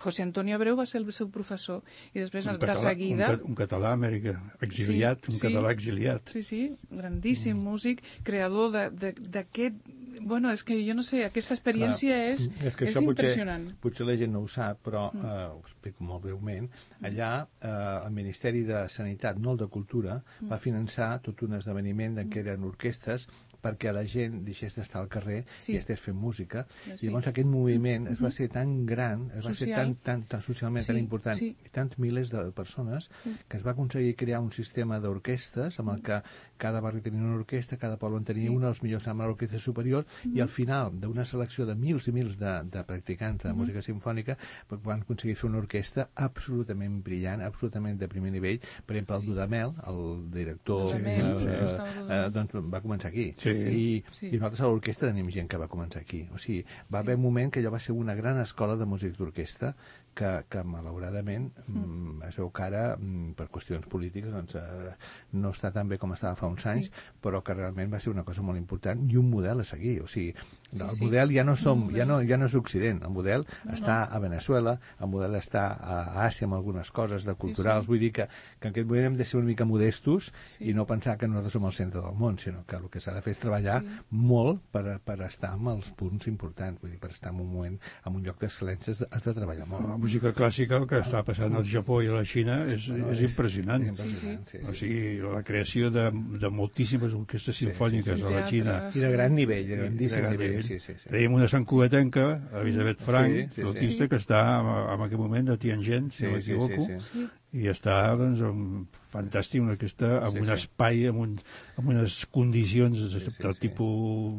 José Antonio Abreu va ser el seu professor, i després un de català, seguida... Un, un català a Amèrica, exiliat, sí, un sí, català exiliat. Sí, sí, grandíssim mm. músic, creador d'aquest... Bueno, és que jo no sé, aquesta experiència Clar, és, és, que és impressionant. Potser, potser la gent no ho sap, però mm. eh, ho explico molt breument. Allà eh, el Ministeri de Sanitat, no el de Cultura, mm. va finançar tot un esdeveniment en què eren orquestes perquè la gent deixés d'estar al carrer Sí. i estigués fent música. Sí. I llavors aquest moviment es va ser tan gran, es va ser Social. tan, tan, tan socialment Sí, tan important, sí. i tants milers de persones, que es va aconseguir crear un sistema d'orquestes amb el que cada barri tenia una orquestra, cada poble en tenia Sí. una, els millors anaven a l'orquestra superior, i al final d'una selecció de mils i mils de, de practicants de Mhm. música simfònica van aconseguir fer una orquestra absolutament brillant, absolutament de primer nivell. Per exemple, el Dudamel, el director, Dudamel, eh, sí, estava eh, Dudamel. doncs va començar aquí. Sí. I, Sí. I nosaltres a l'orquestra tenim gent que va començar aquí. O sigui, va haver un moment que allò va ser una gran escola de músics d'orquestra que, que malauradament mm. es veu que ara, mm, per qüestions polítiques, doncs, eh, no està tan bé com estava fa uns anys, sí. però que realment va ser una cosa molt important i un model a seguir. O sigui, Sí, el sí. model ja no, som, Un ja, model. no, ja no és Occident, el model No, està no. a Venezuela, el model està a Àsia amb algunes coses de culturals. sí. Vull dir que, que en aquest moment hem de ser una mica modestos Sí. i no pensar que nosaltres som el centre del món, sinó que el que s'ha de fer és treballar Sí. molt per, per estar en els punts importants, vull dir, per estar en un moment, en un lloc d'excel·lència has de, has de treballar molt. La música clàssica, el que està passant al Japó i a la Xina, és, No, és és- impressionant. és impressionant, sí, sí. O sigui, la creació de, de moltíssimes orquestres Sí, simfòniques sí, sí. a la Xina. Teatre. I de gran nivell, de grandíssim de gran nivell. nivell. Sí, sí, sí. Tenim una santcugatenca, Elisabet Frank, Sí, sí, sí. l'autista, que està en, en aquest moment a Tianjin, si Sí, no sí, m'equivoco, sí, sí. i està doncs, un, fantàstic, una aquesta, amb Sí, un sí. espai, amb, un, amb unes condicions sí, del sí. tipus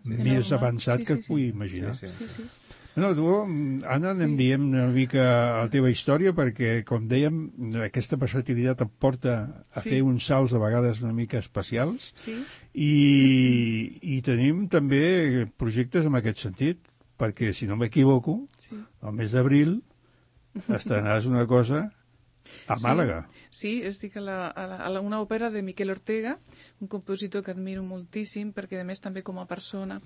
Sí, més sí. avançat Sí, que sí, et pugui sí. imaginar. Sí, sí. Sí, sí. No, tu, Anna, anem dient una mica la teva història, perquè, com dèiem, aquesta versatilitat et porta a Sí. fer uns salts a vegades una mica especials, Sí. i, i tenim també projectes en aquest sentit, perquè, si no m'equivoco, Sí. al mes d'abril estrenaràs una cosa a Màlaga. Sí, estic a, la, a, la, a la, una òpera de Miquel Ortega, un compositor que admiro moltíssim, perquè a més també com a persona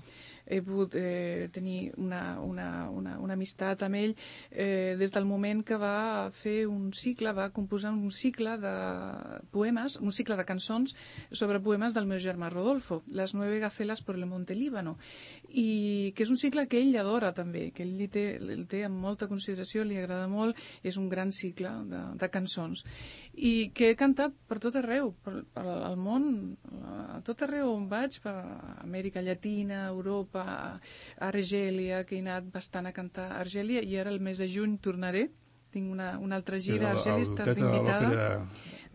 he pogut eh, tenir una, una, una, una amistat amb ell eh, des del moment que va fer un cicle, va composar un cicle de poemes, un cicle de cançons sobre poemes del meu germà Rodolfo, Les nueve gacelas por el monte Líbano, i que és un cicle que ell adora també, que ell li té, el té amb molta consideració, li agrada molt, és un gran cicle de, de cançons, i que he cantat per tot arreu, per, per al món, a tot arreu on vaig, per Amèrica Llatina, Europa, Argèlia, que he anat bastant a cantar a Argèlia, i ara el mes de juny tornaré, tinc una, una altra gira a Argèlia, he estat invitada.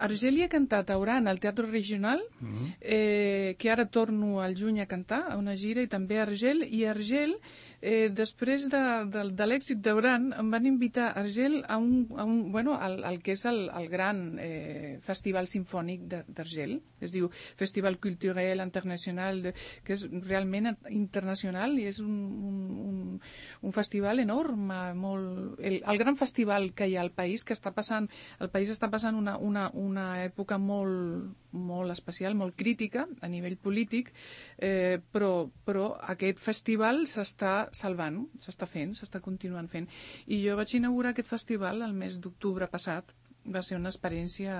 Argèlia he cantat a Oran, al Teatre Regional, Mm. eh, que ara torno al juny a cantar, a una gira, i també a Argel, i a Argel, eh, després de, de, de l'èxit d'Oran, em van invitar a Argel a un, a un, bueno, al, al que és el, el gran eh, festival sinfònic d'Argel, es diu Festival Culturel Internacional, de, que és realment internacional, i és un, un, un, un festival enorme, molt, el, el gran festival que hi ha al país, que està passant, el país està passant una, una, una època molt, molt especial, molt crítica a nivell polític, eh, però, però aquest festival s'està salvant, s'està fent, s'està continuant fent. I jo vaig inaugurar aquest festival el mes d'octubre passat. Va ser una experiència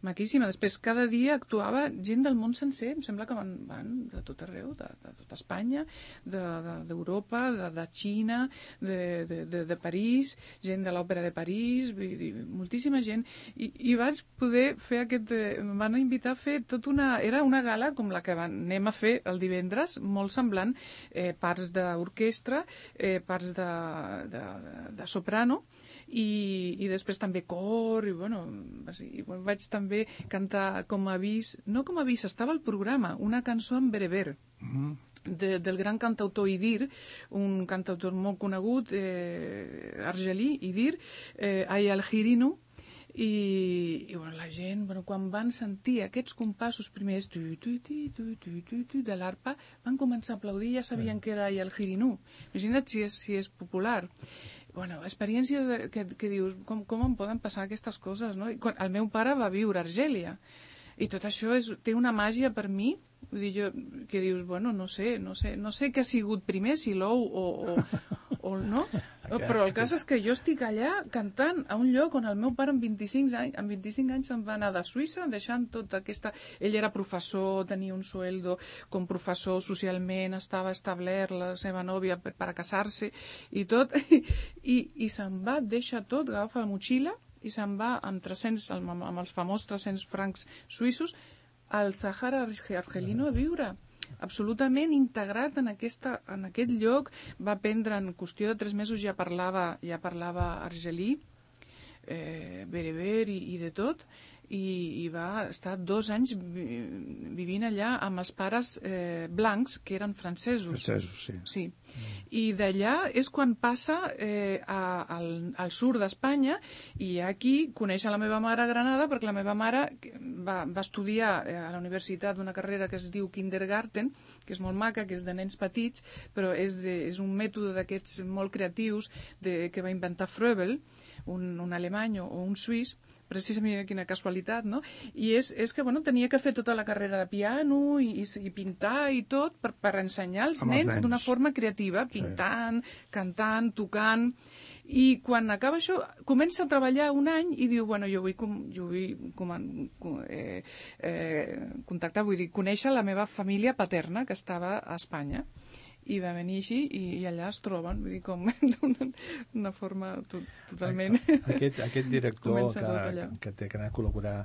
maquíssima. Després, cada dia actuava gent del món sencer. Em sembla que van, van de tot arreu, de, de tot Espanya, d'Europa, de, de, de, de Xina, de, de, de, de París, gent de l'Òpera de París, vull dir, moltíssima gent. I, i vaig poder fer aquest... Eh, em van invitar a fer tot una... Era una gala com la que van, anem a fer el divendres, molt semblant, eh, parts d'orquestra, eh, parts de, de, de soprano, i, i després també cor, i bueno, i vaig també cantar com a avís, no com a avís, estava al programa, una cançó en bereber, Mm. de, del gran cantautor Idir, un cantautor molt conegut, eh, argelí, Idir, eh, Ay al-Girinu, i, i bueno, la gent, bueno, quan van sentir aquests compassos primers tu, tu, tu, tu, tu, tu, tu, de l'arpa, van començar a aplaudir, ja sabien que era Ay al-Girinu. Imagina't si és, si és popular. Bueno, experiències que, que dius, com, com em poden passar aquestes coses, no? I quan, el meu pare va viure a Argèlia, i tot això és, té una màgia per mi, vull dir, jo, que dius, bueno, no sé, no sé, no sé què ha sigut primer, si l'ou o, o, o no, però el cas és que jo estic allà cantant a un lloc on el meu pare amb vint-i-cinc anys, amb vint-i-cinc anys se'n va anar de Suïssa, deixant tota aquesta... Ell era professor, tenia un sueldo com professor, socialment estava establert, la seva nòvia per, per a casar-se i tot, i, i se'n va, deixa tot, agafa la motxilla i se'n va amb, tres-cents, amb, amb els famosos tres-cents francs suïssos al Sàhara argelino a viure. absolutament integrat en, aquesta, en aquest lloc. Va aprendre en qüestió de tres mesos, ja parlava, ja parlava argelí, eh, bereber i, i de tot, i, i va estar dos anys vi, vivint allà amb els pares eh, blancs, que eren francesos. Francesos, sí. Sí. Mm. I d'allà és quan passa eh, a, al, al sud d'Espanya, i aquí coneix a la meva mare a Granada, perquè la meva mare va, va estudiar a la universitat una carrera que es diu Kindergarten, que és molt maca, que és de nens petits, però és, de, és un mètode d'aquests molt creatius de, que va inventar Froebel, un, un alemany o un suís, precisament quina casualitat, no? I és, és que, bueno, tenia que fer tota la carrera de piano i, i, i pintar i tot per, per ensenyar als nens, nens d'una forma creativa, pintant, sí. cantant, tocant. I quan acaba això, comença a treballar un any i diu, bueno, jo vull, com, jo vull com, com, eh, eh, contactar, vull dir, conèixer la meva família paterna que estava a Espanya. I va venir així i, i allà es troben, vull dir, com d'una una forma to, totalment... Aquest, aquest director que, que té que anar a col·laborar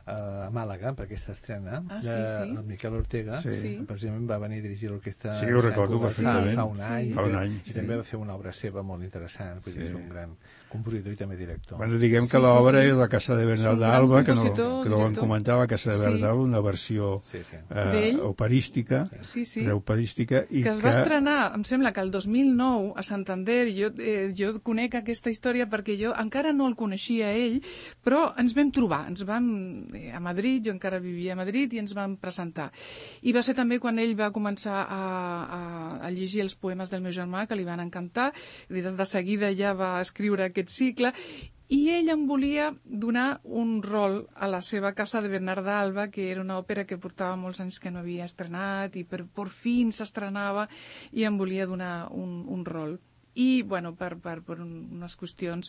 a Màlaga per aquesta estrena, ah, sí, de, sí. el Miquel Ortega, sí. precisament va venir a dirigir l'orquestra... Sí, ho recordo perfectament. Fa un any, fa un any i sí. també va fer una obra seva molt interessant, vull dir, sí. és un gran compositor i també director. Bueno, diguem que sí, l'obra sí, sí. és la Casa de Bernal d'Alba, que no, que no vam comentar, la Casa de Bernal, sí. una versió sí, sí. Eh, operística, sí, sí. operística i que es va que... estrenar, em sembla que el dos mil nou a Santander, jo, eh, jo conec aquesta història perquè jo encara no el coneixia ell, però ens vam trobar, ens vam eh, a Madrid, jo encara vivia a Madrid i ens vam presentar. I va ser també quan ell va començar a, a, a llegir els poemes del meu germà, que li van encantar, i des de seguida ja va escriure aquest cicle, i ell em volia donar un rol a la seva Casa de Bernal d'Alba, que era una òpera que portava molts anys que no havia estrenat, i per, per fin s'estrenava, i em volia donar un, un rol. I, bueno, per, per, per unes qüestions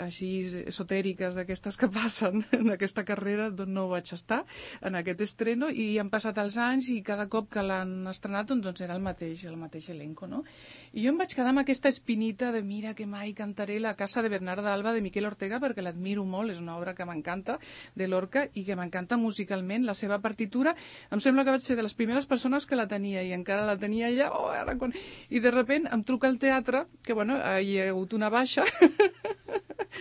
així esotèriques d'aquestes que passen en aquesta carrera, doncs no vaig estar en aquest estreno, i han passat els anys i cada cop que l'han estrenat doncs era el mateix, el mateix elenco, no? I jo em vaig quedar amb aquesta espinita de mira que mai cantaré la Casa de Bernal d'Alba de Miquel Ortega, perquè l'admiro molt, és una obra que m'encanta, de Lorca, i que m'encanta musicalment, la seva partitura. Em sembla que vaig ser de les primeres persones que la tenia, i encara la tenia ja, oh, ara quan... i de sobte em truca el teatre, que bueno, hi ha hagut una baixa,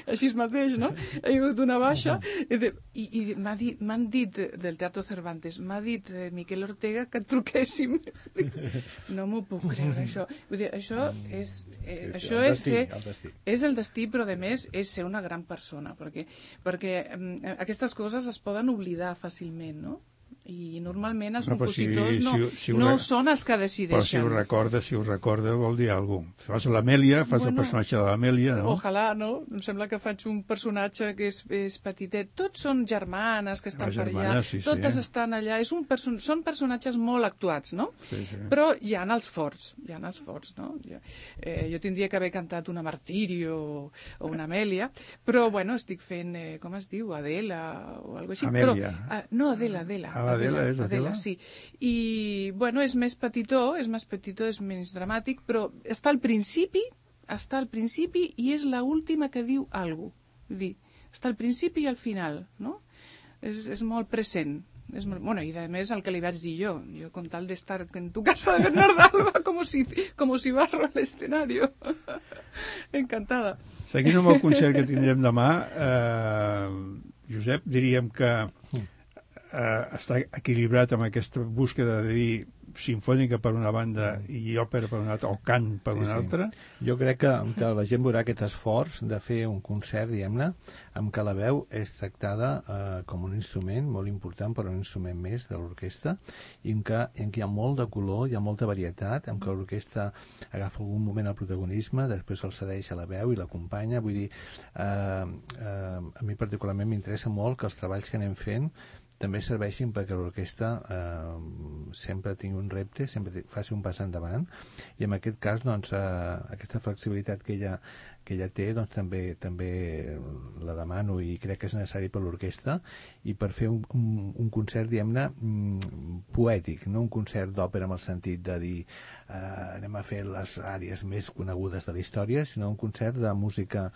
així mateix, no? Hi ha hagut una baixa, i, de, i, i m'ha dit, m'han dit del Teatro Cervantes, m'ha dit eh, Miquel Ortega que truquéssim. No m'ho puc creure, això. Vull dir, això és, eh, sí, sí, això el és, destí, ser, el destí. és el destí, però a més és ser una gran persona, perquè, perquè eh, aquestes coses es poden oblidar fàcilment, no? I normalment els no, compositors si, no, si, si no re... són els que decideixen. Però si ho recorda, si ho recorda vol dir alguna cosa. Fas l'Amèlia, fas bueno, el personatge de l'Amèlia, no? Ojalà, no? Em sembla que faig un personatge que és, és petitet. Tots són germanes que estan per allà, sí, totes sí. estan allà. És un perso... Són personatges molt actuats, no? Sí, sí. Però hi ha els forts, hi ha els forts, no? Jo, eh, jo tindria que haver cantat una Martirio o, o una Amèlia, però, bueno, estic fent, eh, com es diu, Adela o alguna cosa així. Amèlia. Però, uh, no, Adela, Adela. Ah, Adela, és Adela? Adela, sí. I, bueno, és més petitó, és més petitó, és menys dramàtic, però està al principi, està al principi i és l'última que diu alguna cosa. Vull dir, està al principi i al final, no? És, és molt present. És molt... Bueno, i a més el que li vaig dir jo, jo con tal de estar en tu Casa de Bernal d'Alba como si, como si barro al escenario. Encantada. Seguint amb el concert que tindrem demà, eh, Josep, diríem que eh, està equilibrat amb aquesta búsqueda de dir sinfònica per una banda i òpera per una altra, o cant per sí, una sí. altra. Jo crec que, que la gent veurà aquest esforç de fer un concert, diguem-ne, amb què la veu és tractada eh, com un instrument molt important, però un instrument més de l'orquestra, i en què, en què hi ha molt de color, hi ha molta varietat, en què l'orquestra agafa algun moment el protagonisme, després el cedeix a la veu i l'acompanya. Vull dir, eh, eh, a mi particularment m'interessa molt que els treballs que anem fent també serveixin perquè l'orquestra eh, sempre tingui un repte, sempre faci un pas endavant, i en aquest cas doncs, eh, aquesta flexibilitat que ella, que ella té doncs, també, també la demano i crec que és necessari per l'orquestra i per fer un, un, un concert, diguem-ne, poètic, no un concert d'òpera amb el sentit de dir eh, anem a fer les àrees més conegudes de la història, sinó un concert de música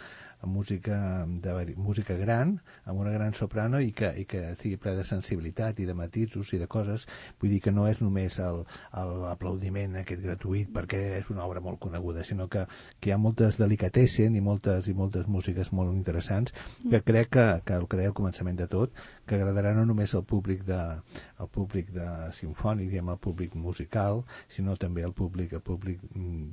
amb música, de, música gran, amb una gran soprano i que, i que estigui ple de sensibilitat i de matisos i de coses. Vull dir que no és només l'aplaudiment aquest gratuït perquè és una obra molt coneguda, sinó que, que hi ha moltes delicatessen i moltes, i moltes músiques molt interessants que crec que, que el que deia al començament de tot, que agradarà no només al públic de, al públic de simfònic, diguem, al públic musical, sinó també al públic, al públic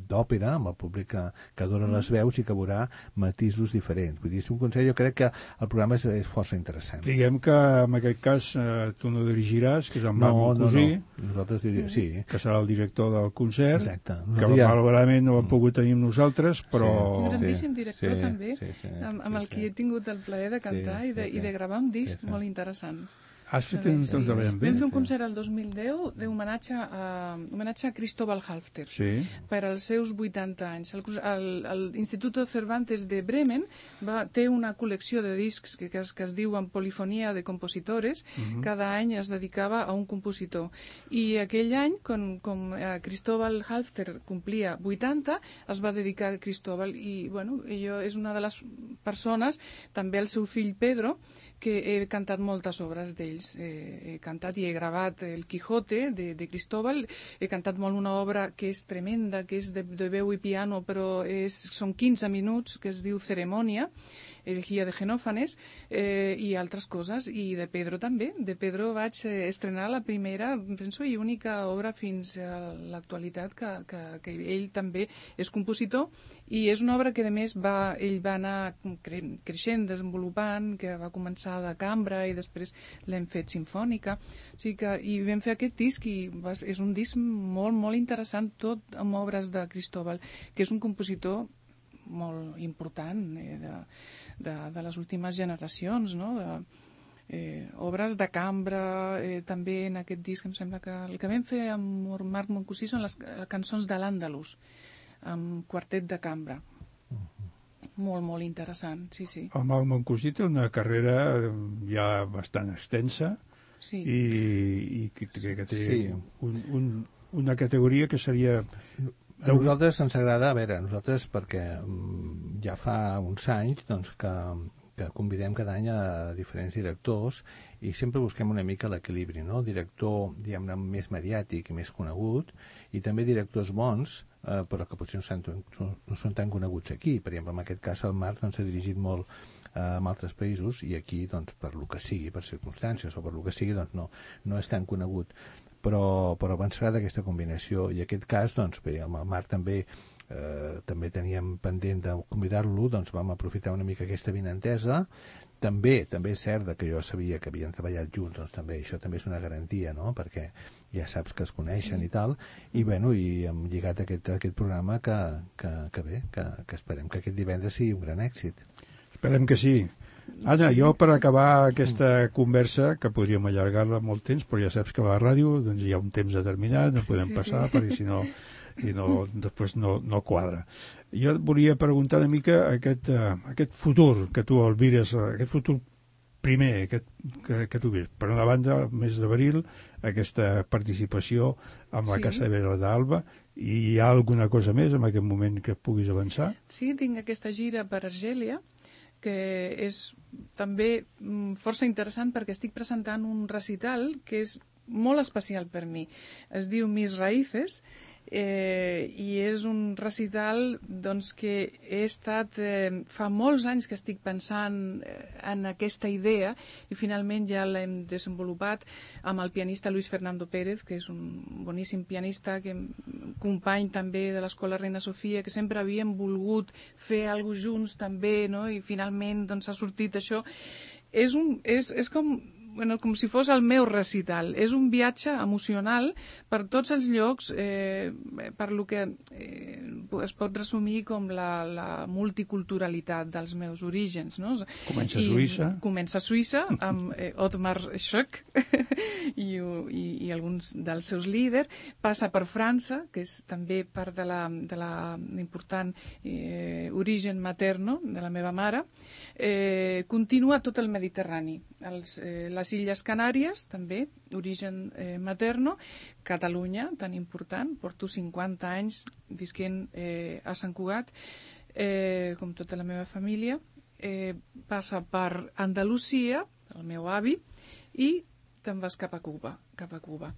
d'òpera, amb el públic que, que adora les veus i que veurà matisos diferents. Vull dir, és un consell, jo crec que el programa és, és força interessant. Diguem que en aquest cas eh, tu no dirigiràs, que és en Marc Moncosí, no, no. Nosaltres diríem, sí. que serà el director del concert, exacte. que malauradament no ho hem pogut tenir amb nosaltres, però... Sí. Un grandíssim director sí, també, sí, sí, amb, amb sí, el qui he tingut el plaer de cantar sí, i, de, sí, sí. i de gravar un disc sí, sí. molt interessant. Has fet un temps de ben bé. Vam fer un concert el dos mil deu d'homenatge a, homenatge a Cristóbal Halffter sí. per als seus vuitanta anys. L'Institut Cervantes de Bremen va, té una col·lecció de discs que, que, es, que es diuen Polifonia de Compositores. Uh-huh. Cada any es dedicava a un compositor. I aquell any, com, com eh, Cristóbal Halffter complia vuitanta, es va dedicar a Cristóbal. I, bueno, jo és una de les persones, també el seu fill Pedro, que he cantat moltes obres d'ells. Eh, he cantat i he gravat El Quijote de, de Cristóbal, he cantat molt una obra que és tremenda, que és de, de veu i piano, però és, són quinze minuts, que es diu Ceremonia, Elegía de Genòfanes, eh, i altres coses, i de Pedro també. De Pedro vaig eh, estrenar la primera, penso, i única obra fins a l'actualitat que, que, que ell també és compositor, i és una obra que, a més, va, ell va anar cre creixent, desenvolupant, que va començar de cambra i després l'hem fet sinfònica. O sigui que, i vam fer aquest disc, i va, és un disc molt, molt interessant, tot amb obres de Cristóbal, que és un compositor molt important eh, de, de, de les últimes generacions, no? De, eh, obres de cambra, eh, també en aquest disc em sembla que el que vam fer amb Marc Moncosí són les cançons de l'Àndalus, amb quartet de cambra. Molt, molt interessant, sí, sí. El Marc Moncosí té una carrera ja bastant extensa sí. i, i que, que té sí. un, un, una categoria que seria... A nosaltres ens agrada, a veure, nosaltres perquè ja fa uns anys doncs, que, que convidem cada any a diferents directors i sempre busquem una mica l'equilibri, no? El director, diguem-ne, més mediàtic i més conegut, i també directors bons, eh, però que potser no són, no són tan coneguts aquí. Per exemple, en aquest cas el Marc doncs, s'ha dirigit molt eh, a altres països i aquí, doncs, per lo que sigui, per circumstàncies o per lo que sigui, doncs, no, no és tan conegut. Però, però ens agrada aquesta combinació i en aquest cas, doncs bé, amb el Marc també eh, també teníem pendent de convidar-lo, doncs vam aprofitar una mica aquesta vinentesa. També també és cert que jo sabia que havien treballat junts, doncs també això també és una garantia, no? Perquè ja saps que es coneixen sí. i tal, i bueno, i hem lligat aquest, aquest programa que, que, que bé, que, que esperem que aquest divendres sigui un gran èxit. Esperem que sí. Anna, sí, jo per sí. acabar aquesta conversa, que podríem allargar-la molt temps, però ja saps que a la ràdio doncs, hi ha un temps determinat, no sí, podem sí, passar, sí. perquè si no, i no després no, no quadra. Jo et volia preguntar una mica aquest, uh, aquest futur que tu albires, aquest futur primer aquest, que, que tu ves. Per una banda, el mes d'abril, aquesta participació amb la sí. Casa Vera d'Alba, i hi ha alguna cosa més en aquest moment que puguis avançar? Sí, tinc aquesta gira per Argèlia, que és també força interessant perquè estic presentant un recital que és molt especial per mi. Es diu Mis Raíces eh, i és un recital doncs, que he estat eh, fa molts anys que estic pensant eh, en aquesta idea i finalment ja l'hem desenvolupat amb el pianista Luis Fernando Pérez, que és un boníssim pianista, que company també de l'Escola Reina Sofia, que sempre havíem volgut fer alguna cosa junts també, no? I finalment doncs, ha sortit això. És, un, és, és com... Bueno, com si fos el meu recital. És un viatge emocional per tots els llocs, eh, per lo que eh, es pot resumir com la, la multiculturalitat dels meus orígens. No? Comença a Suïssa. I comença a Suïssa amb eh, Otmar Schock i, i, i alguns dels seus líders. Passa per França, que és també part de la, de la important eh, origen materno de la meva mare. Eh, continua tot el Mediterrani. Els, eh, les Illes Canàries, també, origen eh, materno, Catalunya, tan important, porto cinquanta anys visquent eh, a Sant Cugat, eh, com tota la meva família, eh, passa per Andalusia, el meu avi, i te'n vas cap a Cuba, cap a Cuba,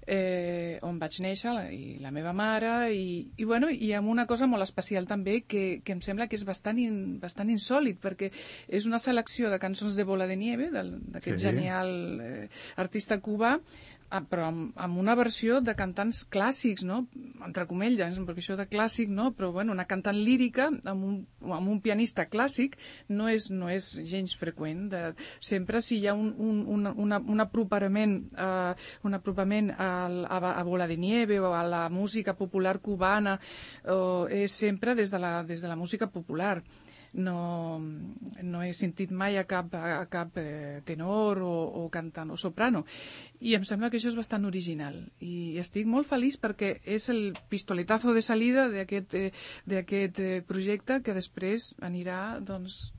eh, on vaig néixer, la, i la meva mare, i, i, bueno, i amb una cosa molt especial també, que, que em sembla que és bastant, in, bastant insòlid, perquè és una selecció de cançons de Bola de Nieve, d'aquest sí. genial eh, artista cubà, però amb, amb una versió de cantants clàssics, no? Entre comelles, perquè això de clàssic, no? Però bueno, una cantant lírica amb un, amb un pianista clàssic no és, no és gens freqüent. De, sempre si hi ha un, un, un, una, un apropament, uh, un apropament a, a, a Bola de Nieve o a la música popular cubana, uh, és sempre des de la, des de la música popular. No, no he sentit mai a cap, a cap eh, tenor o, o cantant o soprano, i em sembla que això és bastant original i estic molt feliç perquè és el pistoletazo de salida d'aquest eh, d'aquest eh, projecte que després anirà, doncs,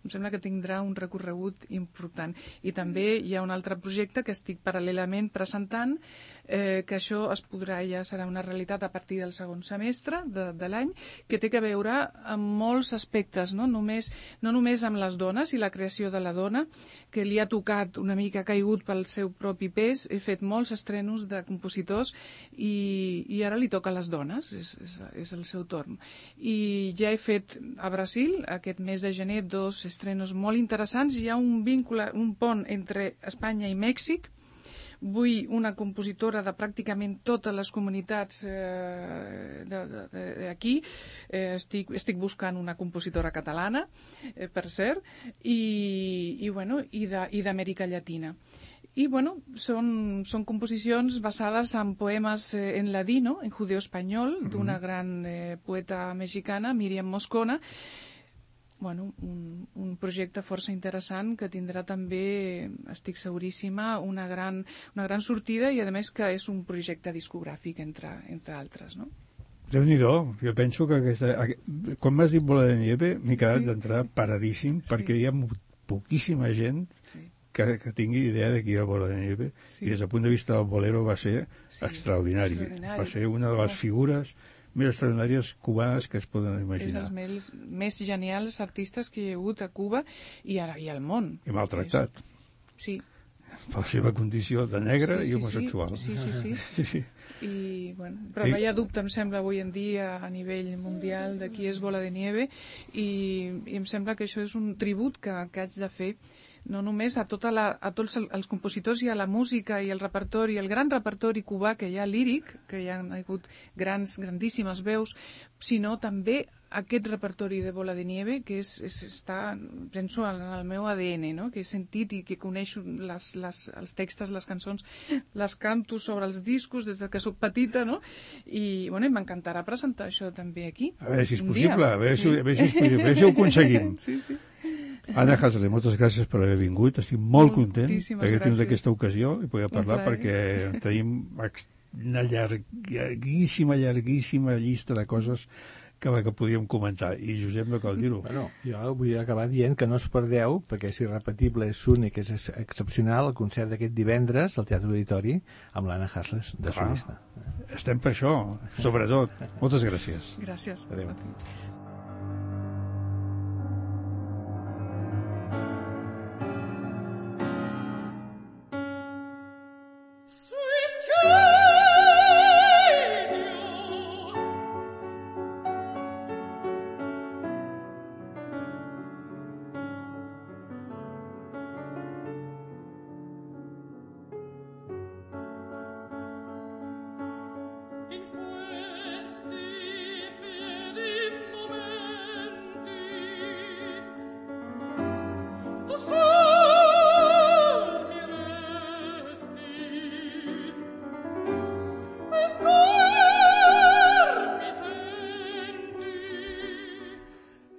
em sembla que tindrà un recorregut important. I també hi ha un altre projecte que estic paral·lelament presentant, eh, que això es podrà, ja serà una realitat a partir del segon semestre de, de l'any, que té que veure amb molts aspectes, no? Només, no només amb les dones i la creació de la dona, que li ha tocat una mica caigut pel seu propi pes. He fet molts estrenos de compositors i, i ara li toca a les dones, és, és, és el seu torn. I ja he fet a Brasil, aquest mes de gener, dos estrenos molt interessants. Hi ha un vincle, un pont entre Espanya i Mèxic. Vull una compositora de pràcticament totes les comunitats eh, d'aquí. Eh, estic, estic buscant una compositora catalana, eh, per cert, i, i, bueno, i d'Amèrica Llatina. I, bueno, són, són composicions basades en poemes eh, en ladino, en judeo-espanyol, d'una gran eh, poeta mexicana, Míriam Moscona. Bueno, un, un projecte força interessant que tindrà també, estic seguríssima, una gran, una gran sortida i, a més, que és un projecte discogràfic, entre, entre altres, no? Déu-n'hi-do, jo penso que aquesta... Quan m'has dit Bola de Nieve m'he quedat sí. d'entrar paradíssim, sí. perquè hi ha poquíssima gent sí. que, que tingui idea de qui era Bola de Nieve, sí. i des del punt de vista del bolero va ser sí. extraordinari. extraordinari. Va ser una de les figures més extraordinàries cubanes que es poden imaginar. És dels més, més genials artistes que hi ha hagut a Cuba i, ara, i al món. I maltractat. És... Sí. Per la seva condició de negre sí, sí, i homosexual. Sí, sí, sí. sí, sí. I, bueno, però no hi ha dubte, em sembla, avui en dia, a nivell mundial, de qui és Bola de Nieve, i, i em sembla que això és un tribut que, que haig de fer no només a, tota la, a tots els compositors i a la música i el repertori, el gran repertori cubà que hi ha líric, que hi ha hagut grans, grandíssimes veus, sinó també aquest repertori de Bola de Nieve que és, és, està, penso, en el meu A D N, no? Que he sentit i que coneixo les, les, els textos, les cançons, les canto sobre els discos des que soc petita, no? I, bueno, m'encantarà presentar això també aquí. A veure si és possible, a veure, sí. si, a veure si és possible, a veure si ho aconseguim. Sí, sí. Anna Hasler, moltes gràcies per haver vingut, estic molt content perquè tinc aquesta ocasió i poder parlar perquè tenim una llarguíssima, llarguíssima llista de coses que, que podíem comentar, i Josep no cal dir-ho. Bueno, jo vull acabar dient que no us perdeu, perquè és irrepetible, és únic, és excepcional, el concert d'aquest divendres al Teatre Auditori amb l'Anna Hasler de solista. Estem per això, sobretot. Moltes gràcies. Gràcies. Adéu.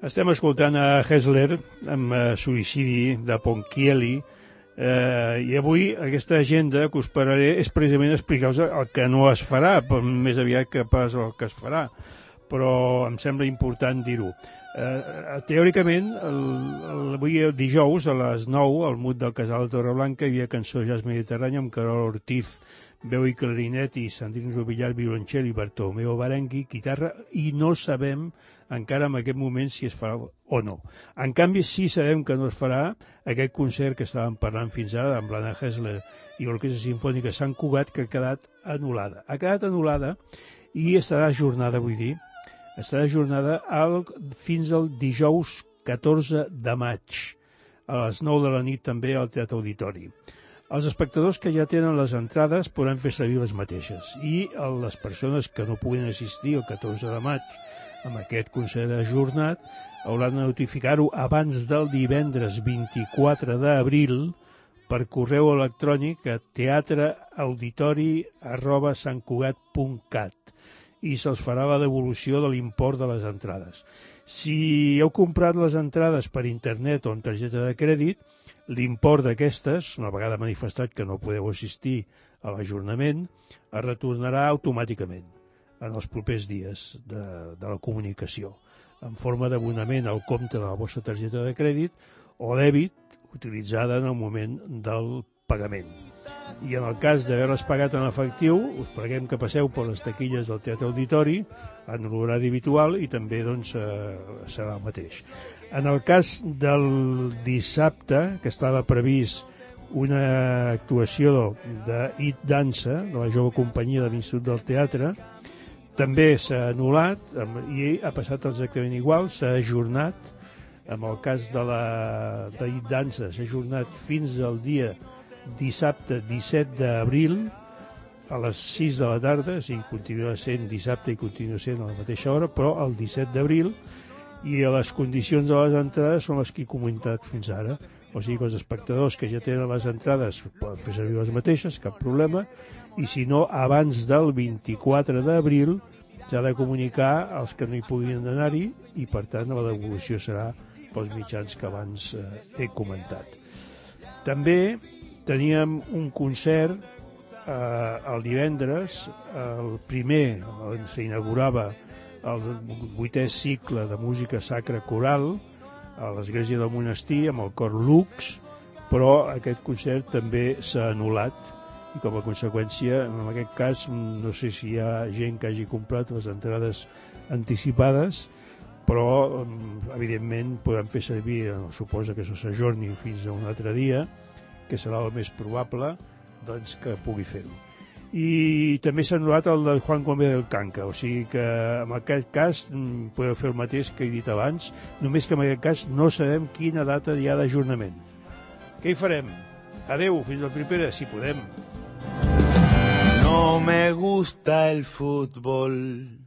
Estem escoltant a Hasler amb uh, Suïcidi de Ponchielli, eh, i avui aquesta agenda que us parlaré és precisament explicar-vos el que no es farà, més aviat que pas el que es farà, però em sembla important dir-ho. Eh, teòricament, el, el, avui dijous a les nou, al Mut del Casal de Torreblanca, hi havia cançó jazz mediterrani amb Carol Ortiz veu i clarinet, i Sandrine Robillar, violoncel, i Bartomeu Barengui, guitarra, i no sabem encara en aquest moment si es farà o no. En canvi, sí sabem que no es farà aquest concert que estàvem parlant fins ara amb l'Anna Hessler i l'Orquestra Simfònica Sant Cugat, que ha quedat anul·lada. Ha quedat anul·lada i estarà ajornada, vull dir, estarà ajornada al, fins al dijous catorze de maig, a les nou de la nit també al Teatre Auditori. Els espectadors que ja tenen les entrades podran fer servir les mateixes i les persones que no puguin assistir el catorze de maig amb aquest concert ajornat hauran de notificar-ho abans del divendres vint-i-quatre d'abril per correu electrònic a teatreauditori arroba santcugat punt cat i se'ls farà la devolució de l'import de les entrades. Si heu comprat les entrades per internet o amb targeta de crèdit, l'import d'aquestes, una vegada manifestat que no podeu assistir a l'ajornament, es retornarà automàticament en els propers dies de, de la comunicació, en forma d'abonament al compte de la vostra targeta de crèdit o dèbit utilitzada en el moment del pagament. I en el cas d'haver-les pagat en efectiu, us preguem que passeu per les taquilles del Teatre Auditori en l'horari habitual i també doncs, eh, serà el mateix. En el cas del dissabte, que estava previst una actuació de It Dansa, de la jove companyia de l'Institut del Teatre, també s'ha anul·lat i ha passat exactament igual, s'ha ajornat. En el cas de la de It Dansa s'ha ajornat fins al dia dissabte disset d'abril a les sis de la tarda, o sigui, continua sent dissabte i continua sent a la mateixa hora, però el disset d'abril, i les condicions de les entrades són les que he comentat fins ara. O sigui que els espectadors que ja tenen les entrades poden fer servir les mateixes, cap problema, i si no, abans del vint-i-quatre d'abril s'ha de comunicar als que no hi puguin anar-hi i, per tant, la devolució serà pels mitjans que abans eh, he comentat. També teníem un concert eh, el divendres, el primer, on s'inaugurava el vuitè cicle de música sacra coral a l'església del monestir amb el cor Lux, però aquest concert també s'ha anul·lat i com a conseqüència, en aquest cas, no sé si hi ha gent que hagi comprat les entrades anticipades, però evidentment podem fer servir, suposa que això s'ajorni fins a un altre dia, que serà el més probable, doncs que pugui fer-ho. I també s'ha anul·lat el de Juan Gómez del Canca, o sigui que en aquest cas podeu fer el mateix que he dit abans, només que en aquest cas no sabem quina data hi ha d'ajornament. Què hi farem? Adeu, fins la propera, si podem. No me gusta el fútbol.